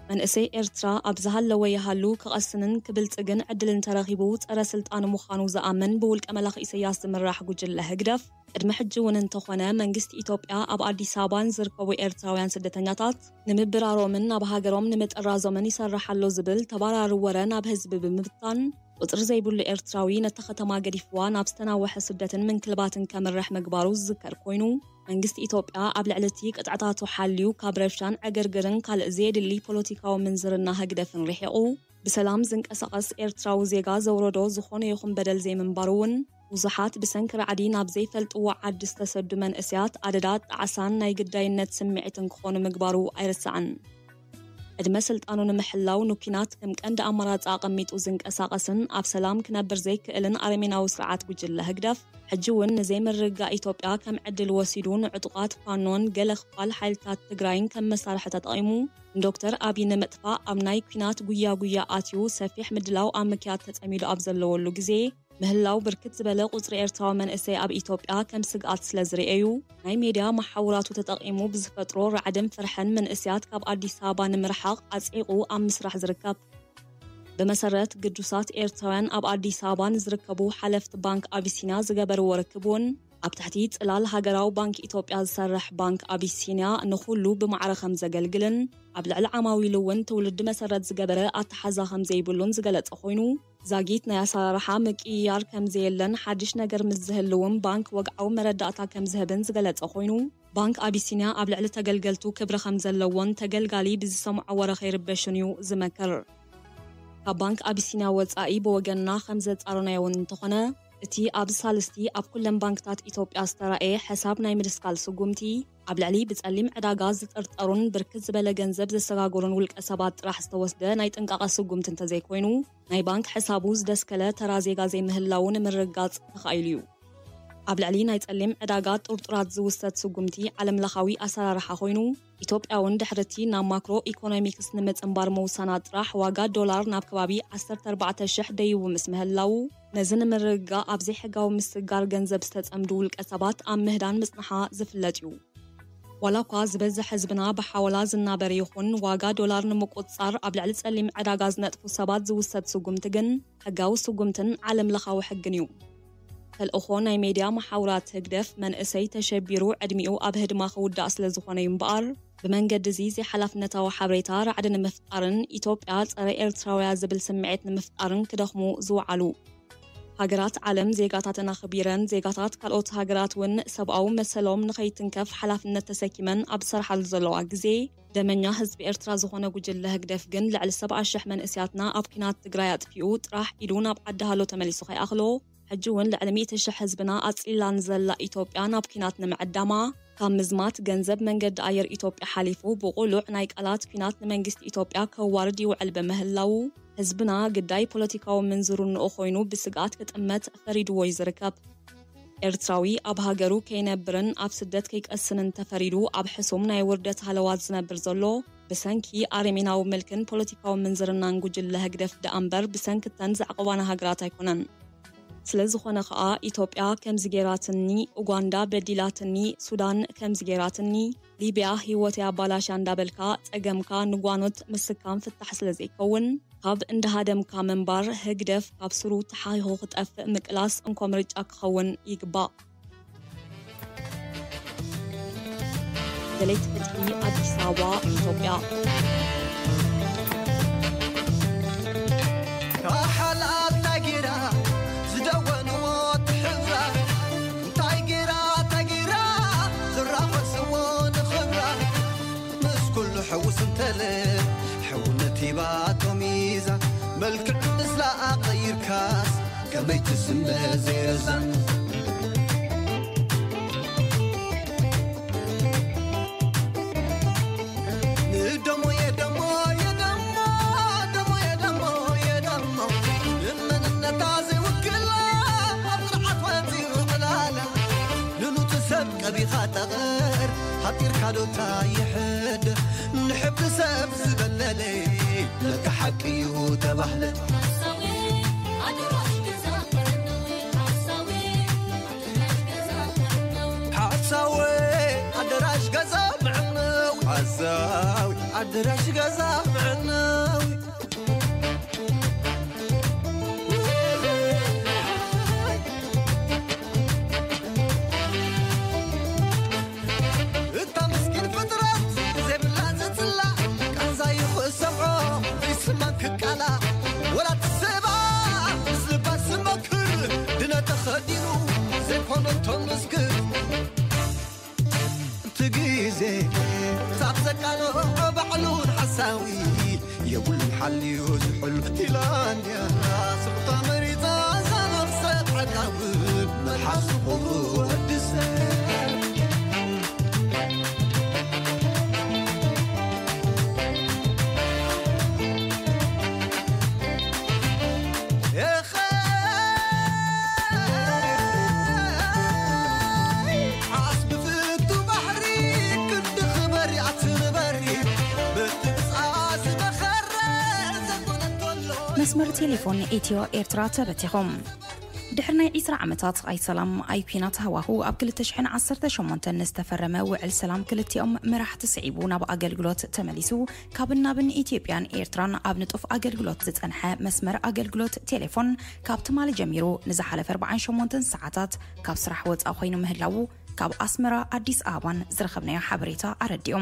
መንእሰይ ኤርትራ ኣብ ዝሃለወ ይሃሉ ክቐስንን ክብልጽግን ዕድል እንተረኺቡ ጸረ ስልጣን ምዃኑ ዝኣምን ብውልቀ መላኺ ኢሰያስ ዝምራሕ ጉጅለ ህግደፍ፣ ቅድሚ ሕጂ እውን እንተኾነ መንግስቲ ኢትዮጵያ ኣብ ኣዲስ ኣበባ ንዝርከቡ ኤርትራውያን ስደተኛታት ንምብራሮምን ናብ ሃገሮም ንምጥራዞምን ይሰርሕ ኣሎ ዝብል ተባራሪ ወረ ናብ ህዝቢ ብምብታን፣ ቁጽሪ ዘይብሉ ኤርትራዊ ነታ ከተማ ገዲፍዋ ናብ ዝተናወሐ ስደትን ምንክልባትን ከምርሕ ምግባሩ ዝዝከር ኮይኑ፣ መንግስቲ ኢትዮጵያ ኣብ ልዕሊ እቲ ቅጥዕታቱ ሓልዩ ካብ ረብሻን ዕግርግርን ካልእ ዘየድሊ ፖለቲካዊ ምንዝርና ህግደፍን ርሒቑ ብሰላም ዝንቀሳቐስ ኤርትራዊ ዜጋ ዘውረዶ ዝኾነ ይኹን በደል ዘይምንባሩ እውን፣ ብዙሓት ብሰንኪ ራዕዲ ናብ ዘይፈልጥዎ ዓዲ ዝተሰዱ መንእሰያት ኣደዳ ጣዕሳን ናይ ግዳይነት ስምዒትን ክኾኑ ምግባሩ ኣይርሳዕን። ዕድመ ስልጣኑ ንምሕላው ንኲናት ከም ቀንዲ ኣማራጺ ኣቐሚጡ ዝንቀሳቐስን ኣብ ሰላም ክነብር ዘይክእልን ኣረሜናዊ ስርዓት ጉጅለ ህግደፍ፣ ሕጂ እውን ንዘይምርግጋእ ኢትዮጵያ ከም ዕድል ወሲዱ ንዕጡቓት ፋኖን ገለ ክፋል ሓይልታት ትግራይን ከም መሳርሒ ተጠቒሙ ንዶክተር ኣቢ ንምጥፋእ ኣብ ናይ ኲናት ጉያ ጉያ ኣትዩ ሰፊሕ ምድላው ኣብ ምክያድ ተጸሚዱ ኣብ ዘለወሉ ግዜ፣ ምህላው ብርክት ዝበለ ቁጽሪ ኤርትራዊ መንእሰይ ኣብ ኢትዮጵያ ከም ስግኣት ስለ ዝርእዩ፣ ናይ ሜድያ መሓውራቱ ተጠቒሙ ብዝፈጥሮ ራዕድን ፍርሕን መንእሰያት ካብ ኣዲስ ኣበባ ንምርሓቕ ኣጽዒቑ ኣብ ምስራሕ ዝርከብ። ብመሰረት ግዱሳት ኤርትራውያን ኣብ ኣዲስ ኣበባ ንዝርከቡ ሓለፍቲ ባንክ ኣቢሲንያ ዝገበርዎ ርክብ እውን፣ ኣብ ትሕቲ ጽላል ሃገራዊ ባንክ ኢትዮጵያ ዝሰርሕ ባንክ ኣቢሲንያ ንኹሉ ብማዕረ ከም ዘገልግልን፣ ኣብ ልዕሊ ዓማዊሉ እውን ትውልዲ መሰረት ዝገበረ ኣተሓዛ ከም ዘይብሉን ዝገለጸ ኮይኑ፣ ዛጊት ናይ ኣሰራርሓ ምቅይያር ከም ዘየለን ሓድሽ ነገር ምስ ዝህልውን ባንክ ወግዓዊ መረዳእታ ከም ዝህብን ዝገለጸ ኮይኑ፣ ባንክ ኣቢሲንያ ኣብ ልዕሊ ተገልገልቱ ክብሪ ከም ዘለዎን ተገልጋሊ ብዝሰምዖ ወረ ከይርበሽን እዩ ዝመክር። ካብ ባንክ ኣቢሲንያ ወጻኢ ብወገንና ከም ዘጻረናዮ እውን እንተኾነ፣ እቲ ኣብ ሳልስቲ ኣብ ኩለን ባንክታት ኢትዮጵያ ዝተራእየ ሕሳብ ናይ ምድስካል ስጉምቲ፣ ኣብ ልዕሊ ብጸሊም ዕዳጋ ዝጥርጠሩን ብርክት ዝበለ ገንዘብ ዘሰጋገሩን ውልቀ ሰባት ጥራሕ ዝተወስደ ናይ ጥንቃቐ ስጉምቲ እንተዘይኮይኑ፣ ናይ ባንክ ሕሳቡ ዝደስከለ ተራ ዜጋ ዘይምህላዉ ንምርግጋጽ ተኻኢሉ እዩ። ኣብ ልዕሊ ናይ ጸሊም ዕዳጋ ጥርጡራት ዝውሰድ ስጉምቲ ዓለምለኻዊ ኣሰራርሓ ኮይኑ፣ ኢትዮጵያ እውን ድሕርቲ ናብ ማክሮ ኢኮኖሚክስ ንምጽንባር ምውሳና ጥራሕ ዋጋ ዶላር ናብ ከባቢ ዓሰርተ ኣርባዕተ ሽሕ ደይቡ ምስ ምህላዉ፣ ነዚ ንምርግጋእ ኣብ ዘይሕጋዊ ምስግጋር ገንዘብ ዝተጸምዱ ውልቀ ሰባት ኣብ ምህዳን ምጽንሓ ዝፍለጥ እዩ። ዋላ እኳ ዝበዝሕ ህዝብና ብሓወላ ዝናበር ይኹን፣ ዋጋ ዶላር ንምቁጽጻር ኣብ ልዕሊ ጸሊም ዕዳጋ ዝነጥፉ ሰባት ዝውሰድ ስጉምቲ ግን ሕጋዊ ስጉምትን ዓለምለኻዊ ሕግን እዩ። ተልእኾ ናይ ሜድያ መሓውራት ህግደፍ መንእሰይ ተሸቢሩ ዕድሚኡ ኣብ ህድማ ክውዳእ ስለ ዝኾነ እዩ እምበኣር፣ ብመንገዲ እዚ ዘይሓላፍነታዊ ሓበሬታ ራዕዲ ንምፍጣርን ኢትዮጵያ ጸረ ኤርትራውያ ዝብል ስምዒት ንምፍጣርን ክደኽሙ ዝወዓሉ። ሃገራት ዓለም ዜጋታተን ኣኽቢረን፣ ዜጋታት ካልኦት ሃገራት እውን ሰብኣዊ መሰሎም ንኸይትንከፍ ሓላፍነት ተሰኪመን ኣብ ዝሰርሓሉ ዘለዋ ግዜ፣ ደመኛ ህዝቢ ኤርትራ ዝኾነ ጉጅለ ህግደፍ ግን ልዕሊ ሰብዓ ሽሕ መንእስያትና ኣብ ኲናት ትግራይ ኣጥፊኡ ጥራሕ ኢዱ ናብ ዓዲ ሃሎ ተመሊሱ ከይኣኽሎ፣ ሕጂ እውን ልዕሊ ሚእቲ ሽሕ ህዝብና ኣጽሊላ ንዘላ ኢትዮጵያ ናብ ኲናት ንምዕዳማ፣ ካብ ምዝማት ገንዘብ መንገዲ ኣየር ኢትዮጵያ ሓሊፉ ብቑሉዕ ናይ ቃላት ኲናት ንመንግስቲ ኢትዮጵያ ከዋርድ ይውዕል ብምህላዉ፣ ህዝብና ግዳይ ፖለቲካዊ ምንዝርንኡ ኮይኑ ብስግኣት ክጥመት ፈሪድዎ እዩ ዝርከብ። ኤርትራዊ ኣብ ሃገሩ ከይነብርን ኣብ ስደት ከይቀስንን ተፈሪዱ ኣብ ሕሱም ናይ ውርደት ሃለዋት ዝነብር ዘሎ፣ ብሰንኪ ኣረሜናዊ ምልክን ፖለቲካዊ ምንዝርናን ጉጅለ ህግደፍ ደኣ እምበር ብሰንኪ እተን ዘዕቆባና ሃገራት ኣይኮነን። ስለ ዝኾነ ከኣ ኢትዮጵያ ከምዚ ጌራትኒ፣ ኡጋንዳ በዲላትኒ፣ ሱዳን ከምዚ ጌራትኒ፣ ሊብያ ህይወተይ ኣባላሽያ እንዳበልካ ጸገምካ ንጓኖት ምስካም ፍታሕ ስለ ዘይከውን፣ ካብ እንዳሃደምካ ምንባር ህግደፍ ካብ ስሩ ተሓኺኹ ክጠፍእ ምቅላስ እንኮ ምርጫ ክኸውን ይግባእ። ደለይቲ ፍትሒ፣ ኣዲስ ኣበባ፣ ኢትዮጵያ። ካሓላት ናይ ጌራ ዝደወንዎ ትሕብራ፣ እንታይ ጌራ እንታይ ጌራ ዝራኸስዎ ንኽብራ። መልክዕ ምስላ ቀይርካስ ከመይ ትስመ ዘይረዛን። ንደሞ የደሞ የደሞ ደሞ የደሞ የደሞ ንመንነታ ዘይውክላ ኣብ ስርዓት ወፂኡ ዕላላ ንኑቲ ሰብ ቀቢኻ ጠቕር ሓጢርካ ዶታ ይሕድር ንሕብሪ ሰብ ዝበለለ ነቲ ሓቂ እዩ ተባህለ ሓሳዊ ኣደራሽ ገዛ ምዕነው ሓሳዊ ኣደራሽ ገዛ ምዕነው እታ ምስኪን ፍጥረት ዘይብላ ዘጽላ ቃንዛ ይኽእሰዖ ዘይስማን ክቃላ ወላ ትስባ ምስ ልባ ስመክር ድነ ተኸዲኑ ዘይኮነ እንቶም ምስክር እቲ ግዜ ሳብ ዘቃልዖ ባዕሉን ሓሳዊ የብሉን ሓልዩ ዝሕሉ ፊንላንድያ ስርታ መሪፃ እዛ ነፍሰ ዓዳዊ መልሓስ ክቡር ወዲ ሰብ ዓስቢ ፍቱ ባሕሪ ክንዲ ክበሪ ኣትንበሪ በቲ ብፃ ዝበኸረ ዘኮነ እንተሎ መስመር ቴሌፎን ኢትዮ ኤርትራ ተበቲኹ። ድሕሪ ናይ ዒስራ ዓመታት ኣይ ሰላም ኣይ ኲናት ሃዋሁ ኣብ ክልተ ሽሕን ዓሰርተ ሸሞንተን ዝተፈረመ ውዕል ሰላም ክልቲኦም መራሕቲ ስዒቡ ናብ ኣገልግሎት ተመሊሱ ካብ ናብን ኢትዮጵያን ኤርትራን ኣብ ንጡፍ ኣገልግሎት ዝጸንሐ መስመር ኣገልግሎት ቴሌፎን ካብ ትማሊ ጀሚሩ ንዝሓለፈ ኣርባዓን ሸሞንተን ሰዓታት ካብ ስራሕ ወጻኢ ኮይኑ ምህላዉ ካብ ኣስመራ ኣዲስ ኣበባን ዝረኸብናዮ ሓበሬታ ኣረዲኡ።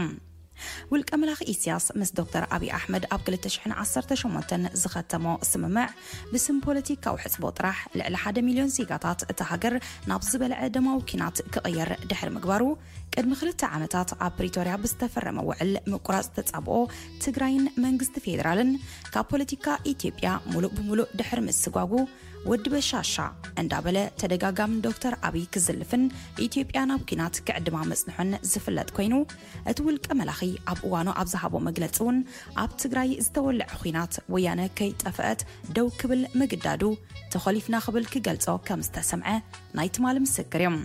ውልቀ መላኺ ኢሳያስ ምስ ዶክተር ኣብይ ኣሕመድ ኣብ ክልተ ሽሕን ዓሰርተ ሸሞንተን ዝኸተሞ ስምምዕ ብስም ፖለቲካዊ ሕጽቦ ጥራሕ ልዕሊ ሓደ ሚልዮን ዜጋታት እታ ሃገር ናብ ዝበልዐ ደማዊ ኲናት ክቕየር ድሕሪ ምግባሩ ቅድሚ ክልተ ዓመታት ኣብ ፕሪቶርያ ብዝተፈረመ ውዕል ምቁራጽ ተጻብኦ ትግራይን መንግስቲ ፌዴራልን ካብ ፖለቲካ ኢትዮጵያ ሙሉእ ብሙሉእ ድሕሪ ምስጓጉ ወዲ በሻሻ እንዳበለ ተደጋጋሚ ዶክተር ኣብይ ክዝልፍን ኢትዮጵያ ናብ ኲናት ክዕድማ መጽንሑን ዝፍለጥ ኮይኑ እቲ ውልቀ መላኺ ኣብ እዋኑ ኣብ ዝሃቦ መግለጺ እውን ኣብ ትግራይ ዝተወልዐ ኹናት ወያነ ከይጠፍአት ደው ክብል ምግዳዱ ተኾሊፍና ክብል ክገልጾ ከም ዝተሰምዐ ናይ ትማሊ ምስክር እዮም።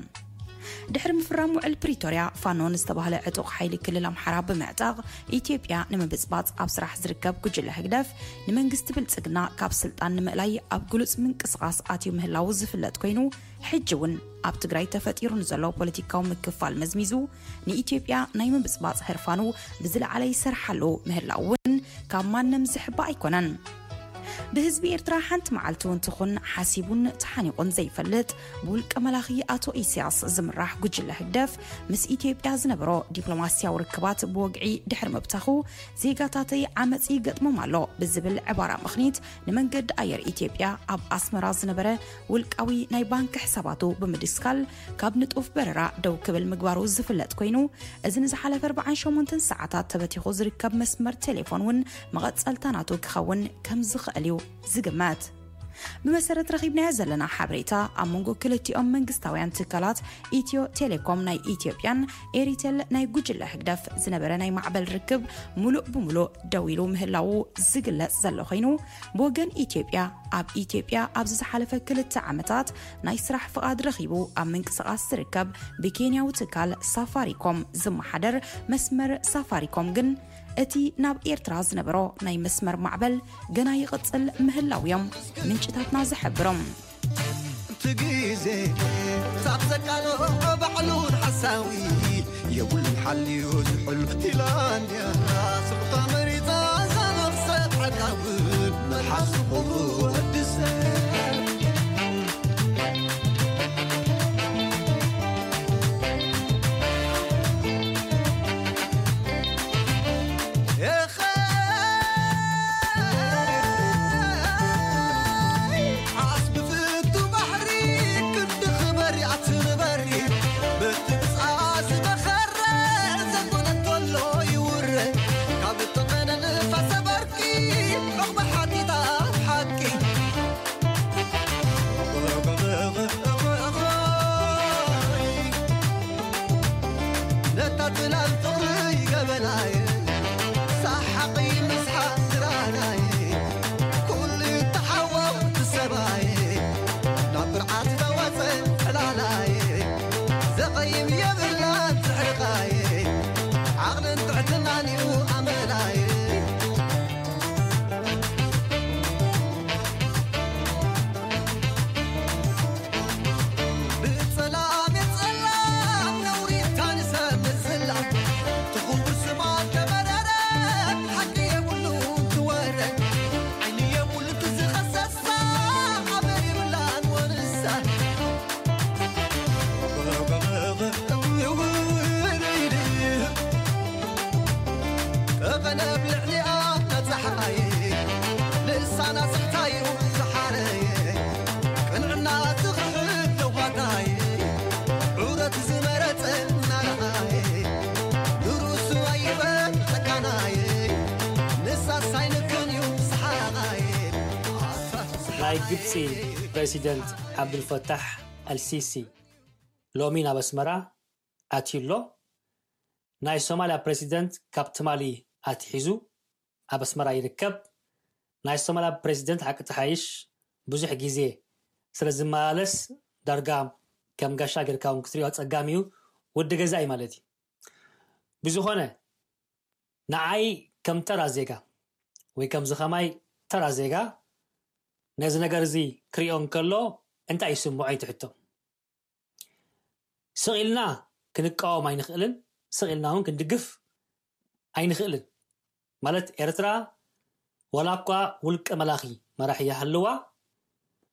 ድሕሪ ምፍራም ውዕል ፕሪቶርያ ፋኖ ንዝተባህለ ዕጡቕ ሓይሊ ክልል ኣምሓራ ብምዕጣቕ ኢትዮጵያ ንምብጽባጽ ኣብ ስራሕ ዝርከብ ጉጅለ ህግደፍ ንመንግስቲ ብልጽግና ካብ ስልጣን ንምእላይ ኣብ ግሉጽ ምንቅስቓስ ኣትዩ ምህላዉ ዝፍለጥ ኮይኑ ሕጂ እውን ኣብ ትግራይ ተፈጢሩ ንዘሎ ፖለቲካዊ ምክፋል መዝሚዙ ንኢትዮጵያ ናይ ምብጽባጽ ህርፋኑ ብዝለዓለ ይሰርሓሉ ምህላው እውን ካብ ማንም ዝሕባእ ኣይኮነን። ብህዝቢ ኤርትራ ሓንቲ መዓልቲ እውን ትኹን ሓሲቡን ተሓኒቑን ዘይፈልጥ ብውልቀ መላኺ ኣቶ ኢሳያስ ዝምራሕ ጉጅለ ህግደፍ ምስ ኢትዮጵያ ዝነበሮ ዲፕሎማስያዊ ርክባት ብወግዒ ድሕሪ ምብታኹ ዜጋታተይ ዓመጽ ይገጥሞም ኣሎ ብዝብል ዕባራ ምኽኒት ንመንገዲ ኣየር ኢትዮጵያ ኣብ ኣስመራ ዝነበረ ውልቃዊ ናይ ባንክ ሕሳባቱ ብምድስካል ካብ ንጡፍ በረራ ደው ክብል ምግባሩ ዝፍለጥ ኮይኑ እዚ ንዝሓለፈ ኣርባዓን ሸሞንተን ሰዓታት ተበቲኹ ዝርከብ መስመር ቴሌፎን እውን መቐጸልታ ናቱ ክኸውን ከም ዝኽእል እዩ ዝግመት። ብመሰረት ረኺብናዮ ዘለና ሓበሬታ ኣብ መንጎ ክልቲኦም መንግስታውያን ትካላት ኢትዮ ቴሌኮም ናይ ኢትዮጵያን ኤሪቴል ናይ ጉጅለ ህግደፍ ዝነበረ ናይ ማዕበል ርክብ ሙሉእ ብሙሉእ ደው ኢሉ ምህላዉ ዝግለጽ ዘሎ ኮይኑ ብወገን ኢትዮጵያ ኣብ ኢትዮጵያ ኣብዚ ዝሓለፈ ክልተ ዓመታት ናይ ስራሕ ፍቓድ ረኺቡ ኣብ ምንቅስቓስ ዝርከብ ብኬንያዊ ትካል ሳፋሪኮም ዝመሓደር መስመር ሳፋሪኮም ግን እቲ ናብ ኤርትራ ዝነበሮ ናይ መስመር ማዕበል ገና ይቕጽል ምህላው እዮም ምንጭታትና ዝሕብሮም። እቲ ግዜ ሳብ ዘቃልዖ ባዕሉን ሓሳዊ የብሉን ሓልዩ ዝሕሉ ፊንላንድያ ስርታ መሪፃ እዛ ነፍሰ ዓዳዊ መልሓስ ክቡር ወዲ ሰብ ዓስቢ ፍቱ ባሕሪ ክንዲ ክበሪ ኣትንበሪ በቲ ብፃ ዝበኸረ ዘኮነ እንተሎ ይውረ ካብ እተቐነ ንፋሰ በርቂ ዑቕባ ሓቲታ ላን ፍቕሪ ገበናይ ሳሓቂ ምስሓቅ ድራናይ ኩሉ ተሓወቕ ሰባይ ናብ ብርዓት ተዋፀ ዕላላይ ዘቐይም የብላን ትሕርቃይ ዓቕልን ትሕትናን እዩ ኣመላይ ብጸላም የጸላም ነውሪ ታንሰ ምዝላ ትኹን ብስማ ተመረረ ሓቂ የብሉ ትወረ ዓይኒ የብሉ ትዝኸሰሳ ኣበር ይብላን ወንሳ ቀቐነብ ልዕሊኣ ጸሓይ ልሳና ስሕታዩ ዝሓረየ ቅንዕና ዝኽሕድ ለዋታይ ዑረት ዝመረጸ ናርኣየ ንርእሱ ኣይበል ጸካናየ ንሳስ ኣይንክን እዩ ሰሓቓየ ናይ ግብፂ ፕሬዚደንት ዓብዱልፈታሕ ኣልሲሲ ሎሚ ናብ ኣስመራ ኣትዩ ኣሎ። ናይ ሶማልያ ፕሬዚደንት ካብ ትማሊ ኣትሒዙ ኣብ ኣስመራ ይርከብ። ናይ ሶማልያ ፕሬዚደንት ሓቂ ተሓይሽ ብዙሕ ግዜ ስለ ዝመላለስ ዳርጋ ከም ጋሻ ጌርካ እውን ክትሪኦ ኣጸጋሚ እዩ። ወዲ ገዛ እዩ ማለት እዩ። ብዝኾነ ንዓይ ከም ተራ ዜጋ ወይ ከምዚ ከማይ ተራ ዜጋ ነዚ ነገር እዚ ክሪኦ እንከሎ እንታይ ይስምዖ ይትሕቶ። ስቕ ኢልና ክንቃወም ኣይንኽእልን፣ ስቕ ኢልና እውን ክንድግፍ ኣይንኽእልን። ማለት ኤርትራ ዋላ እኳ ውልቀ መላኺ መራሒ ይሃልዋ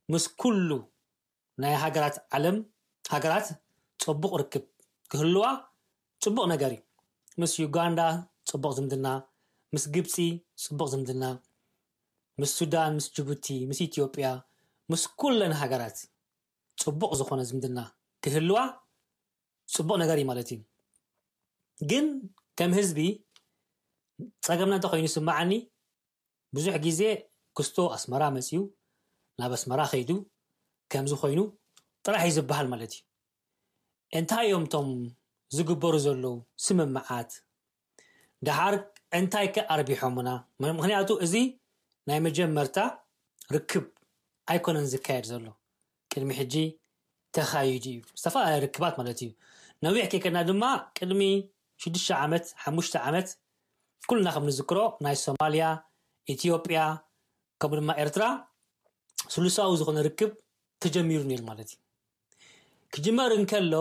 ምስ ኩሉ ናይ ሃገራት ዓለም ሃገራት ጽቡቕ ርክብ ክህልዋ ጽቡቕ ነገር እዩ። ምስ ዩጋንዳ ጽቡቕ ዝምድና፣ ምስ ግብጺ ጽቡቕ ዝምድና፣ ምስ ሱዳን፣ ምስ ጅቡቲ፣ ምስ ኢትዮጵያ፣ ምስ ኩለን ሃገራት ጽቡቕ ዝኾነ ዝምድና ክህልዋ ጽቡቕ ነገር እዩ ማለት እዩ። ግን ከም ህዝቢ ጸገምና እንተ ኮይኑ ይስምዓኒ ብዙሕ ግዜ ክስቶ ኣስመራ መፅዩ ናብ ኣስመራ ከይዱ ከምዚ ኮይኑ ጥራሕ እዩ ዝበሃል ማለት እዩ። እንታይ እዮም እቶም ዝግበሩ ዘለዉ ስምምዓት? ደሓር እንታይ ከ ኣርቢሖምና? ምክንያቱ እዚ ናይ መጀመርታ ርክብ ኣይኮነን ዝካየድ ዘሎ። ቅድሚ ሕጂ ተኻይዱ እዩ። ዝተፈላለዩ ርክባት ማለት እዩ። ነዊሕ ከይከድና ድማ ቅድሚ ሽዱሽተ ዓመት ሓሙሽተ ዓመት ኩልና ከም ንዝክሮ ናይ ሶማልያ፣ ኢትዮጵያ ከምኡ ድማ ኤርትራ ስሉሳዊ ዝኾነ ርክብ ተጀሚሩ ነይሩ ማለት እዩ። ክጅመር እንከሎ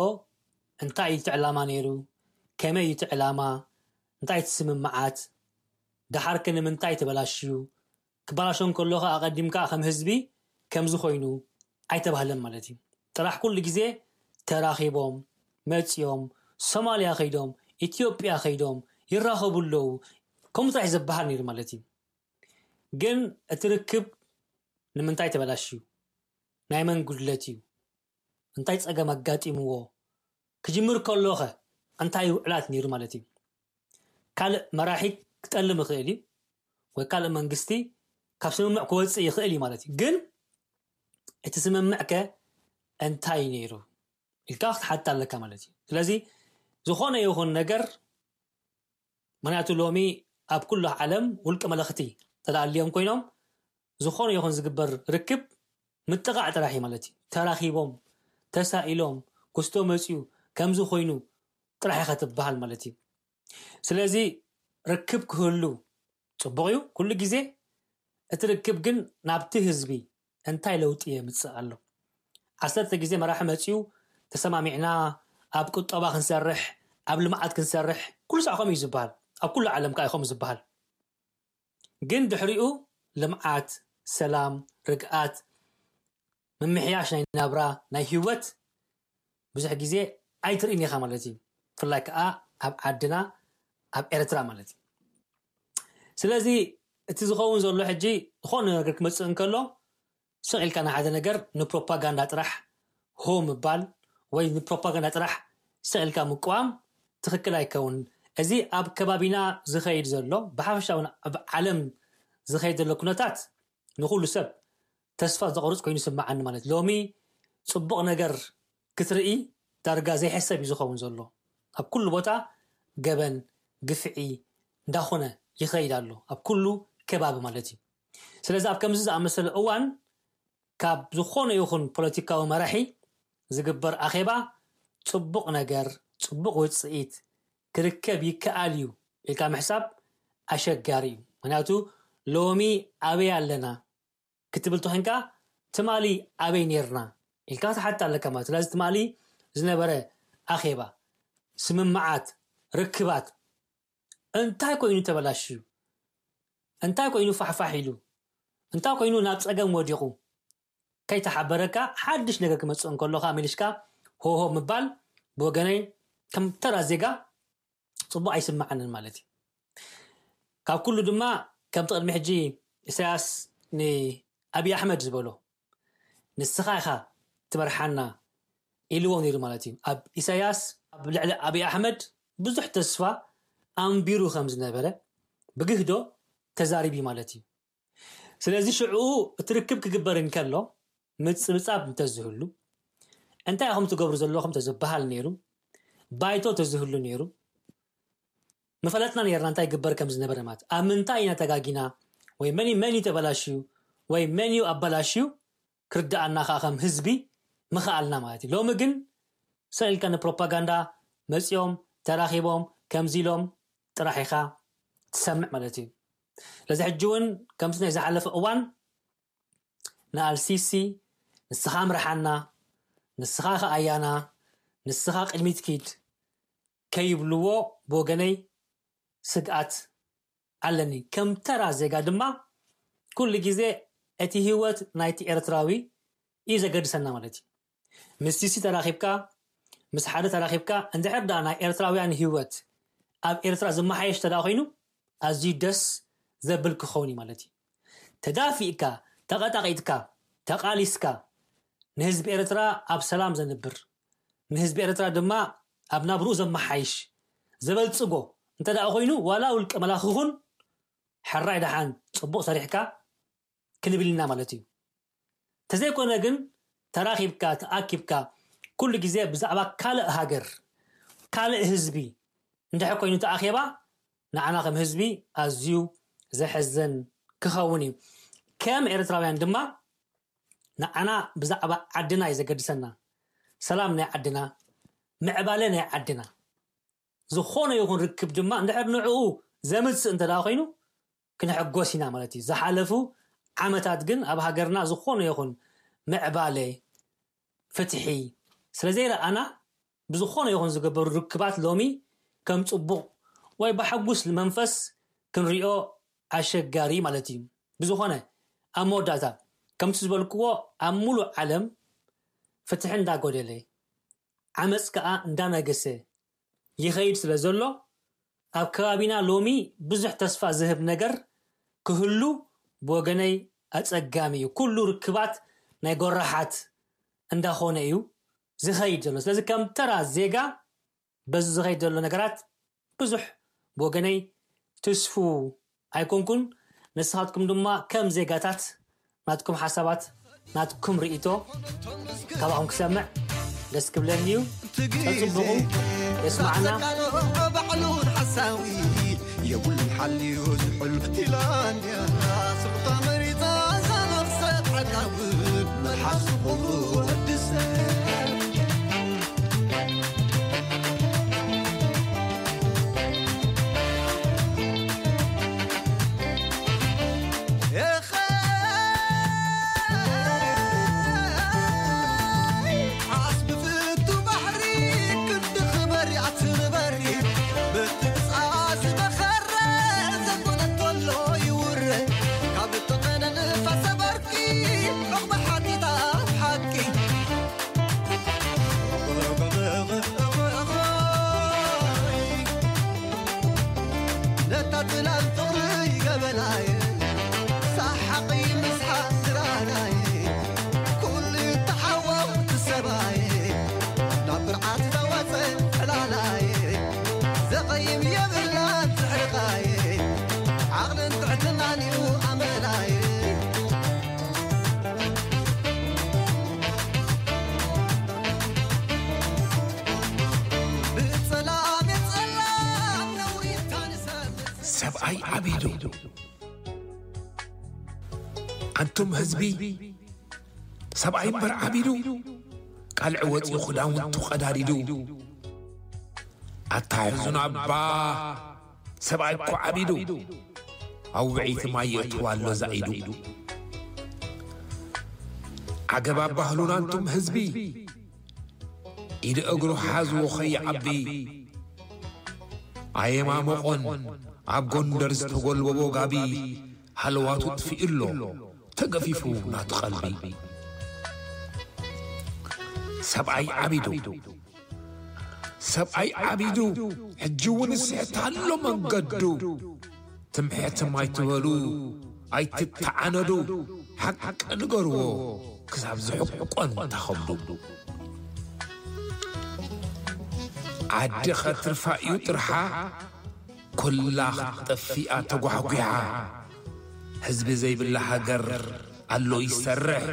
እንታይ እዩ እቲ ዕላማ ነይሩ? ከመይ እዩ እቲ ዕላማ? እንታይ እቲ ስምምዓት? ደሓር ከ ንምንታይ ተበላሽዩ? ክበላሾ እንከሎ ከ ኣቐዲምካ ከም ህዝቢ ከምዚ ኮይኑ ኣይተባህለን ማለት እዩ። ጥራሕ ኩሉ ግዜ ተራኺቦም መፂኦም ሶማልያ ከይዶም ኢትዮጵያ ከይዶም ይራኸቡ ኣለዉ ከምኡ ጥራሕ ዝበሃል ነይሩ ማለት እዩ። ግን እቲ ርክብ ንምንታይ ተበላሽዩ? ናይ መን ጉድለት እዩ? እንታይ ፀገም ኣጋጢምዎ? ክጅምር ከሎ ኸ እንታይ ውዕላት ነይሩ ማለት እዩ? ካልእ መራሒ ክጠልም ይኽእል እዩ ወይ ካልእ መንግስቲ ካብ ስምምዕ ክወፅእ ይኽእል እዩ ማለት እዩ። ግን እቲ ስምምዕ ከ እንታይ ነይሩ ኢልካ ክትሓትት ኣለካ ማለት እዩ። ስለዚ ዝኾነ ይኹን ነገር ምክንያቱ ሎሚ ኣብ ኩሉ ዓለም ውልቂ መለኽቲ ተዳልዮም ኮይኖም ዝኾነ ይኹን ዝግበር ርክብ ምጥቓዕ ጥራሕ እዩ ማለት እዩ። ተራኺቦም ተሳኢሎም ክስቶ መፅዩ ከምዚ ኮይኑ ጥራሕ ኢኻ ትበሃል ማለት እዩ። ስለዚ ርክብ ክህሉ ፅቡቕ እዩ ኩሉ ግዜ። እቲ ርክብ ግን ናብቲ ህዝቢ እንታይ ለውጢ የምፅእ ኣሎ? ዓሰርተ ግዜ መራሒ መፅዩ ተሰማሚዕና ኣብ ቁጠባ ክንሰርሕ ኣብ ልምዓት ክንሰርሕ ኩሉ ሳዕ ከምኡ እዩ ዝበሃል። ኣብ ኩሉ ዓለም ከዓ እዩ ከምኡ ዝበሃል። ግን ድሕሪኡ ልምዓት፣ ሰላም፣ ርግኣት፣ ምምሕያሽ ናይ ናብራ ናይ ህይወት ብዙሕ ግዜ ኣይትርእን ኢኻ ማለት እዩ። ብፍላይ ከዓ ኣብ ዓድና ኣብ ኤርትራ ማለት እዩ። ስለዚ እቲ ዝኸውን ዘሎ ሕጂ ዝኾነ ነገር ክመፅእ እንከሎ ስቕ ኢልካ ንሓደ ነገር ንፕሮፓጋንዳ ጥራሕ ሆ ምባል ወይ ንፕሮፓጋንዳ ጥራሕ ስቕ ኢልካ ምቅዋም ትኽክል ኣይከውን። እዚ ኣብ ከባቢና ዝኸይድ ዘሎ ብሓፈሻ እውን ኣብ ዓለም ዝኸይድ ዘሎ ኩነታት ንኹሉ ሰብ ተስፋ ዘቑርፅ ኮይኑ ይስምዓኒ ማለት ሎሚ ፅቡቕ ነገር ክትርኢ ዳርጋ ዘይሕሰብ እዩ ዝኸውን ዘሎ። ኣብ ኩሉ ቦታ ገበን፣ ግፍዒ እንዳኾነ ይኸይድ ኣሎ ኣብ ኩሉ ከባቢ ማለት እዩ። ስለዚ ኣብ ከምዚ ዝኣመሰለ እዋን ካብ ዝኾነ ይኹን ፖለቲካዊ መራሒ ዝግበር ኣኼባ ጽቡቕ ነገር፣ ጽቡቕ ውጽኢት ክርከብ ይከኣል እዩ ኢልካ ምሕሳብ ኣሸጋሪ እዩ። ምክንያቱ ሎሚ ኣበይ ኣለና ክትብል ተኾንካ ትማሊ ኣበይ ኔርና ኢልካ ትሓት ኣለካ ማለት። ስለዚ ትማሊ ዝነበረ ኣኼባ፣ ስምምዓት፣ ርክባት እንታይ ኮይኑ ተበላሽዩ? እንታይ ኮይኑ ፋሕፋሕ ኢሉ? እንታይ ኮይኑ ናብ ጸገም ወዲቑ? ከይተሓበረካ ሓድሽ ነገር ክመጽእ እንከሎ ከኣ መሊስካ ሆሆ ምባል ብወገነይ ከም ተራ ዜጋ ጽቡቕ ኣይስምዓንን ማለት እዩ። ካብ ኩሉ ድማ ከምቲ ቅድሚ ሕጂ ኢሳያስ ንኣብይ ኣሕመድ ዝበሎ ንስኻ ኢኻ ትመርሓና ኢልዎ ነይሩ ማለት እዩ። ኣብ ኢሳያስ ኣብ ልዕሊ ኣብይ ኣሕመድ ብዙሕ ተስፋ ኣንቢሩ ከም ዝነበረ ብግህዶ ተዛሪቢ ማለት እዩ። ስለዚ ሽዑ እቲ ርክብ ክግበር እንከሎ ምጽብጻብ እንተዝህሉ እንታይ ኢኹም ትገብሩ ዘለኹም ተዝበሃል ነይሩ፣ ባይቶ ተዝህሉ ነይሩ፣ መፈለጥና ነርና እንታይ ይግበር ከም ዝነበረ ማለት ኣብ ምንታይ ኢና ተጋጊና ወይ መን መን እዩ ተበላሽዩ ወይ መን እዩ ኣበላሽዩ ክርድኣና ከዓ ከም ህዝቢ ምኽኣልና ማለት እዩ። ሎሚ ግን ሰልካ ንፕሮፓጋንዳ መፂኦም ተራኺቦም ከምዚ ኢሎም ጥራሕ ኢኻ ትሰምዕ ማለት እዩ። ስለዚ ሕጂ እውን ከምቲ ናይ ዝሓለፈ እዋን ንኣልሲሲ ንስኻ ምርሓና፣ ንስኻ ከኣያና፣ ንስኻ ቅድሚት ኪድ ከይብልዎ ብወገነይ ስግኣት ኣለኒ። ከም ተራ ዜጋ ድማ ኩሉ ግዜ እቲ ህይወት ናይቲ ኤርትራዊ እዩ ዘገድሰና ማለት እዩ። ምስ ሲሲ ተራኺብካ፣ ምስ ሓደ ተራኺብካ፣ እንድሕር ደኣ ናይ ኤርትራውያን ህይወት ኣብ ኤርትራ ዝመሓየሽ ተዳ ኮይኑ ኣዝዩ ደስ ዘብል ክኸውን እዩ ማለት እዩ። ተዳፊእካ፣ ተቐጣቒጥካ፣ ተቓሊስካ ንህዝቢ ኤርትራ ኣብ ሰላም ዘንብር፣ ንህዝቢ ኤርትራ ድማ ኣብ ናብርኡ ዘመሓይሽ፣ ዘበልጽጎ እንተ ደኣ ኮይኑ ዋላ ውልቀ መላኺ ኹን ሕራይ ደሓን ጽቡቕ ሰሪሕካ ክንብል ኢና ማለት እዩ። ተዘይኮነ ግን ተራኺብካ ተኣኪብካ ኩሉ ግዜ ብዛዕባ ካልእ ሃገር ካልእ ህዝቢ እንድሕር ኮይኑ ተኣኼባ ንዓና ከም ህዝቢ ኣዝዩ ዘሕዝን ክኸውን እዩ። ከም ኤርትራውያን ድማ ንዓና ብዛዕባ ዓድና እዩ ዘገድሰና። ሰላም ናይ ዓድና፣ ምዕባለ ናይ ዓድና። ዝኾነ ይኹን ርክብ ድማ እንድሕር ንዕኡ ዘምጽእ እንተ ደኣ ኮይኑ ክንሕጎስ ኢና ማለት እዩ። ዝሓለፉ ዓመታት ግን ኣብ ሃገርና ዝኾነ ይኹን ምዕባለ፣ ፍትሒ ስለ ዘይረኣና ብዝኾነ ይኹን ዝገበሩ ርክባት ሎሚ ከም ጽቡቕ ወይ ብሓጉስ መንፈስ ክንሪኦ ኣሸጋሪ ማለት እዩ። ብዝኾነ ኣብ መወዳእታ ከምቲ ዝበልክዎ ኣብ ሙሉእ ዓለም ፍትሒ እንዳጎደለ ዓመፅ ከዓ እንዳነገሰ ይኸይድ ስለ ዘሎ ኣብ ከባቢና ሎሚ ብዙሕ ተስፋ ዝህብ ነገር ክህሉ ብወገነይ ኣፀጋሚ እዩ። ኩሉ ርክባት ናይ ጎራሓት እንዳኾነ እዩ ዝኸይድ ዘሎ። ስለዚ ከም ተራ ዜጋ በዚ ዝኸይድ ዘሎ ነገራት ብዙሕ ብወገነይ ትስፉ ኣይኮንኩን። ንስኻትኩም ድማ ከም ዜጋታት ናትኩም ሓሳባት ናትኩም ርእይቶ ካባኹም ክሰምዕ ደስ ክብለኒ እዩ። ተጽብቑ የስማዕና። ባዕሉን ሓሳዊ የብሉን ሓልዩ ዝሕሉ ኢላንያ ስርታ መሪታ ዛነኽሰት ዓዳውን መልሓስ ዝኾኑ ወድሰ ሰብኣይ ዓቢዱ። ኣንቱም ህዝቢ፣ ሰብኣይ እምበር ዓቢዱ፣ ቃልዕ ወፂኡ ክዳውንቱ ቀዳዲዱ። ኣታ ሕዙን ኣባ፣ ሰብኣይ እኮ ዓቢዱ፣ ኣብ ውዕይቲ ማይ የእትዋ ኣሎ ዛኢዱ። ዓገብ ኣባህሉን ኣንቱም ህዝቢ፣ ኢድ እግሩ ሓዝዎ ከይዓቢ። ኣየማሞቖን ኣብ ጎንደር ዝተጎልበቦ ጋቢ፣ ሃለዋቱ ጥፊኡ ኣሎ ተገፊፉ ናቱ ቀልቢ። ሰብኣይ ዓቢዱ፣ ሰብኣይ ዓቢዱ፣ ሕጂ እውን ይስሕት ኣሎ መንገዱ። ትምሕትም ኣይትበሉ፣ ኣይትተዓነዱ፣ ሓቂ ንገርዎ ክሳብ ዝሕቆን ተኸብዱ። ዓዲ ኸትርፋ እዩ ጥርሓ፣ ኩላ ኽትጠፍኣ ተጓሕጒሓ። ህዝቢ ዘይብላ ሃገር ኣሎ ይሰርሕ፣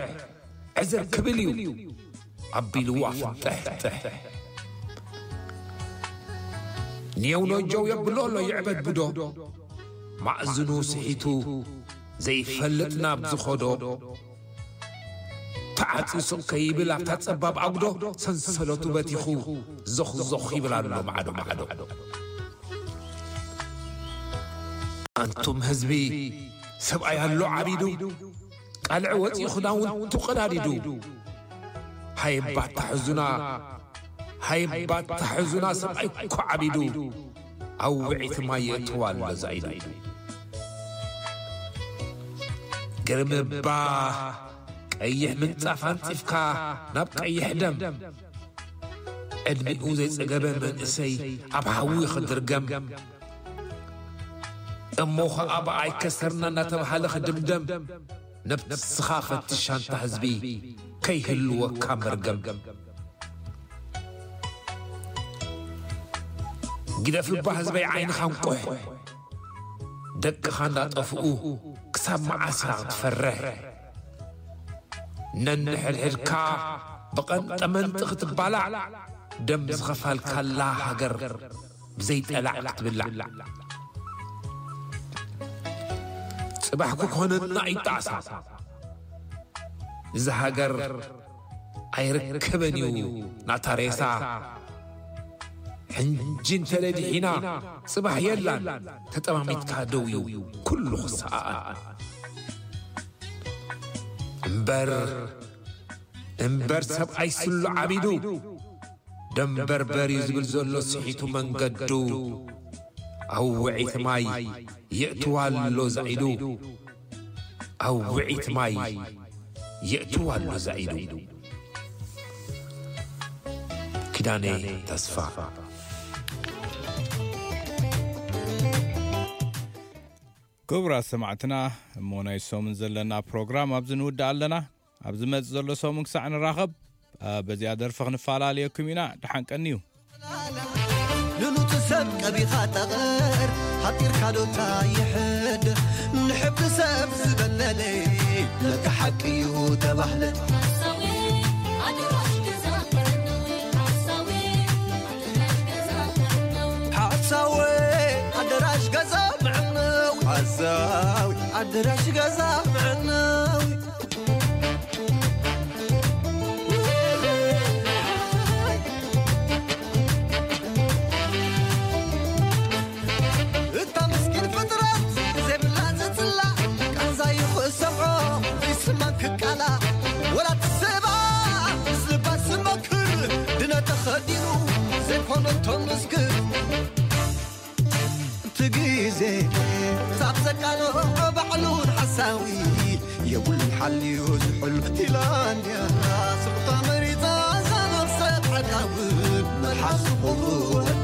ዕዝር ክብል እዩ ኣቢልዋ ፍንጥሕጥሕ። ኔው ነጀው የብሎ ኣሎ ይዕበድ ብዶ፣ ማእዝኑ ስሒቱ ዘይፈልጥ ናብ ዝኸዶ። ተዓፅዩ ስቕ ከይብል ኣብታ ጸባብ ኣጉዶ፣ ሰንሰለቱ በቲኹ ዞኽ ዞኽ ይብል ኣሎ ማዕዶ ማዕዶ። ኣንቱም ህዝቢ፣ ሰብኣይ ኣሎ ዓቢዱ፣ ቃልዕ ወፂኡ ክዳውንቱ ቀዳዲዱ። ሃየባ ኣታ ሕዙና፣ ሃየባ ኣታ ሕዙና፣ ሰብኣይ እኮ ዓቢዱ፣ ኣብ ውዕይቲ ማይ የእትዋ ኣሎ ዛኢዱ። ግርምባ ቀይሕ ምንጻፍ ኣንጺፍካ ናብ ቀይሕ ደም፣ ዕድሚኡ ዘይጸገበ መንእሰይ ኣብ ሓዊ ክድርገም። እሞ ኸኣ ብኣይ ከሰርና እናተባህለ ክድምደም፣ ነብስኻ ፈትሽ ኣንታ ህዝቢ፣ ከይህልወካ መርገም። ግደፍ እባ ህዝበይ ዓይንኻ እንቁሕ፣ ደቅኻ እንዳጠፍኡ ክሳብ መዓስ ኢኻ ክትፈርሕ? ነንሕድሕድካ ብቐንጠመንጢ ክትባላዕ፣ ደም ዝኸፈልካላ ሃገር ብዘይጠላዕ ክትብላዕ። ጽባሕ ክኾነና እዩ ጣዕሳ። እዛ ሃገር ኣይርከበን እዩ ናታ ሬሳ። ሕንጂ እንተለዲሒና ጽባሕ የላን፣ ተጠማሚትካ ደው እዩ ኩሉ ክሰኣኣን። እምበር፣ እምበር ሰብኣይ ስሉ ዓቢዱ፣ ደንበርበር እዩ ዝብል ዘሎ ስሒቱ መንገዱ። ኣብ ውዒት ማይ የእትዋ ኣሎ ዛኢዱ፣ ኣብ ውዒት ማይ የእትዋ ኣሎ ዛኢዱ። ኪዳነ ተስፋ። ክቡራት ሰማዕትና፣ እሞ ናይ ሰሙን ዘለና ፕሮግራም ኣብዚ ንውድእ ኣለና። ኣብ ዝመጽእ ዘሎ ሰሙን ክሳዕ ንራኸብ፣ ኣ፣ በዚኣ ደርፊ ክንፈላለየኩም ኢና። ደሓን ቀንዩ። ንሉቲ ሰብ ቀቢኻ ጠቐር፣ ሃጢርካ ዶታ ይሕድ። ንሕብሪ ሰብ ዝበለለ፣ ለካ ሓቂ እዩ ተባህለ። ሓሳዊ ኣደራሽ ገዛ ምዕነዊ፣ ሓሳዊ ኣደራሽ ገዛ ምዕነዊ። ሓሳዊ ኣደራሽ ገዛ ምዕነዊ። ሓሳዊ ኣደራሽ ገዛ ምዕነዊ። እታ ምስኪን ፍጥረት ዘይብላ ዝጽላ፣ ቃንዛ ይኽእሰምዖ ዘይስማን ክቃላ፣ ወላ ትስባ ዝባ ዝመክር፣ ድነ ተኸዲኑ ዘይኮነ እቶም ምስክር። እቲ ግዜ ሳብ ዘቃልዖ ባዕሉ ንሓሳዊ የብሉን ሓልዩ ዝሕሉ። ፊንላንድያ ስርታ መሪጻ እዛ ነብሰ ሓዳዊ መልሓሱ ክወድ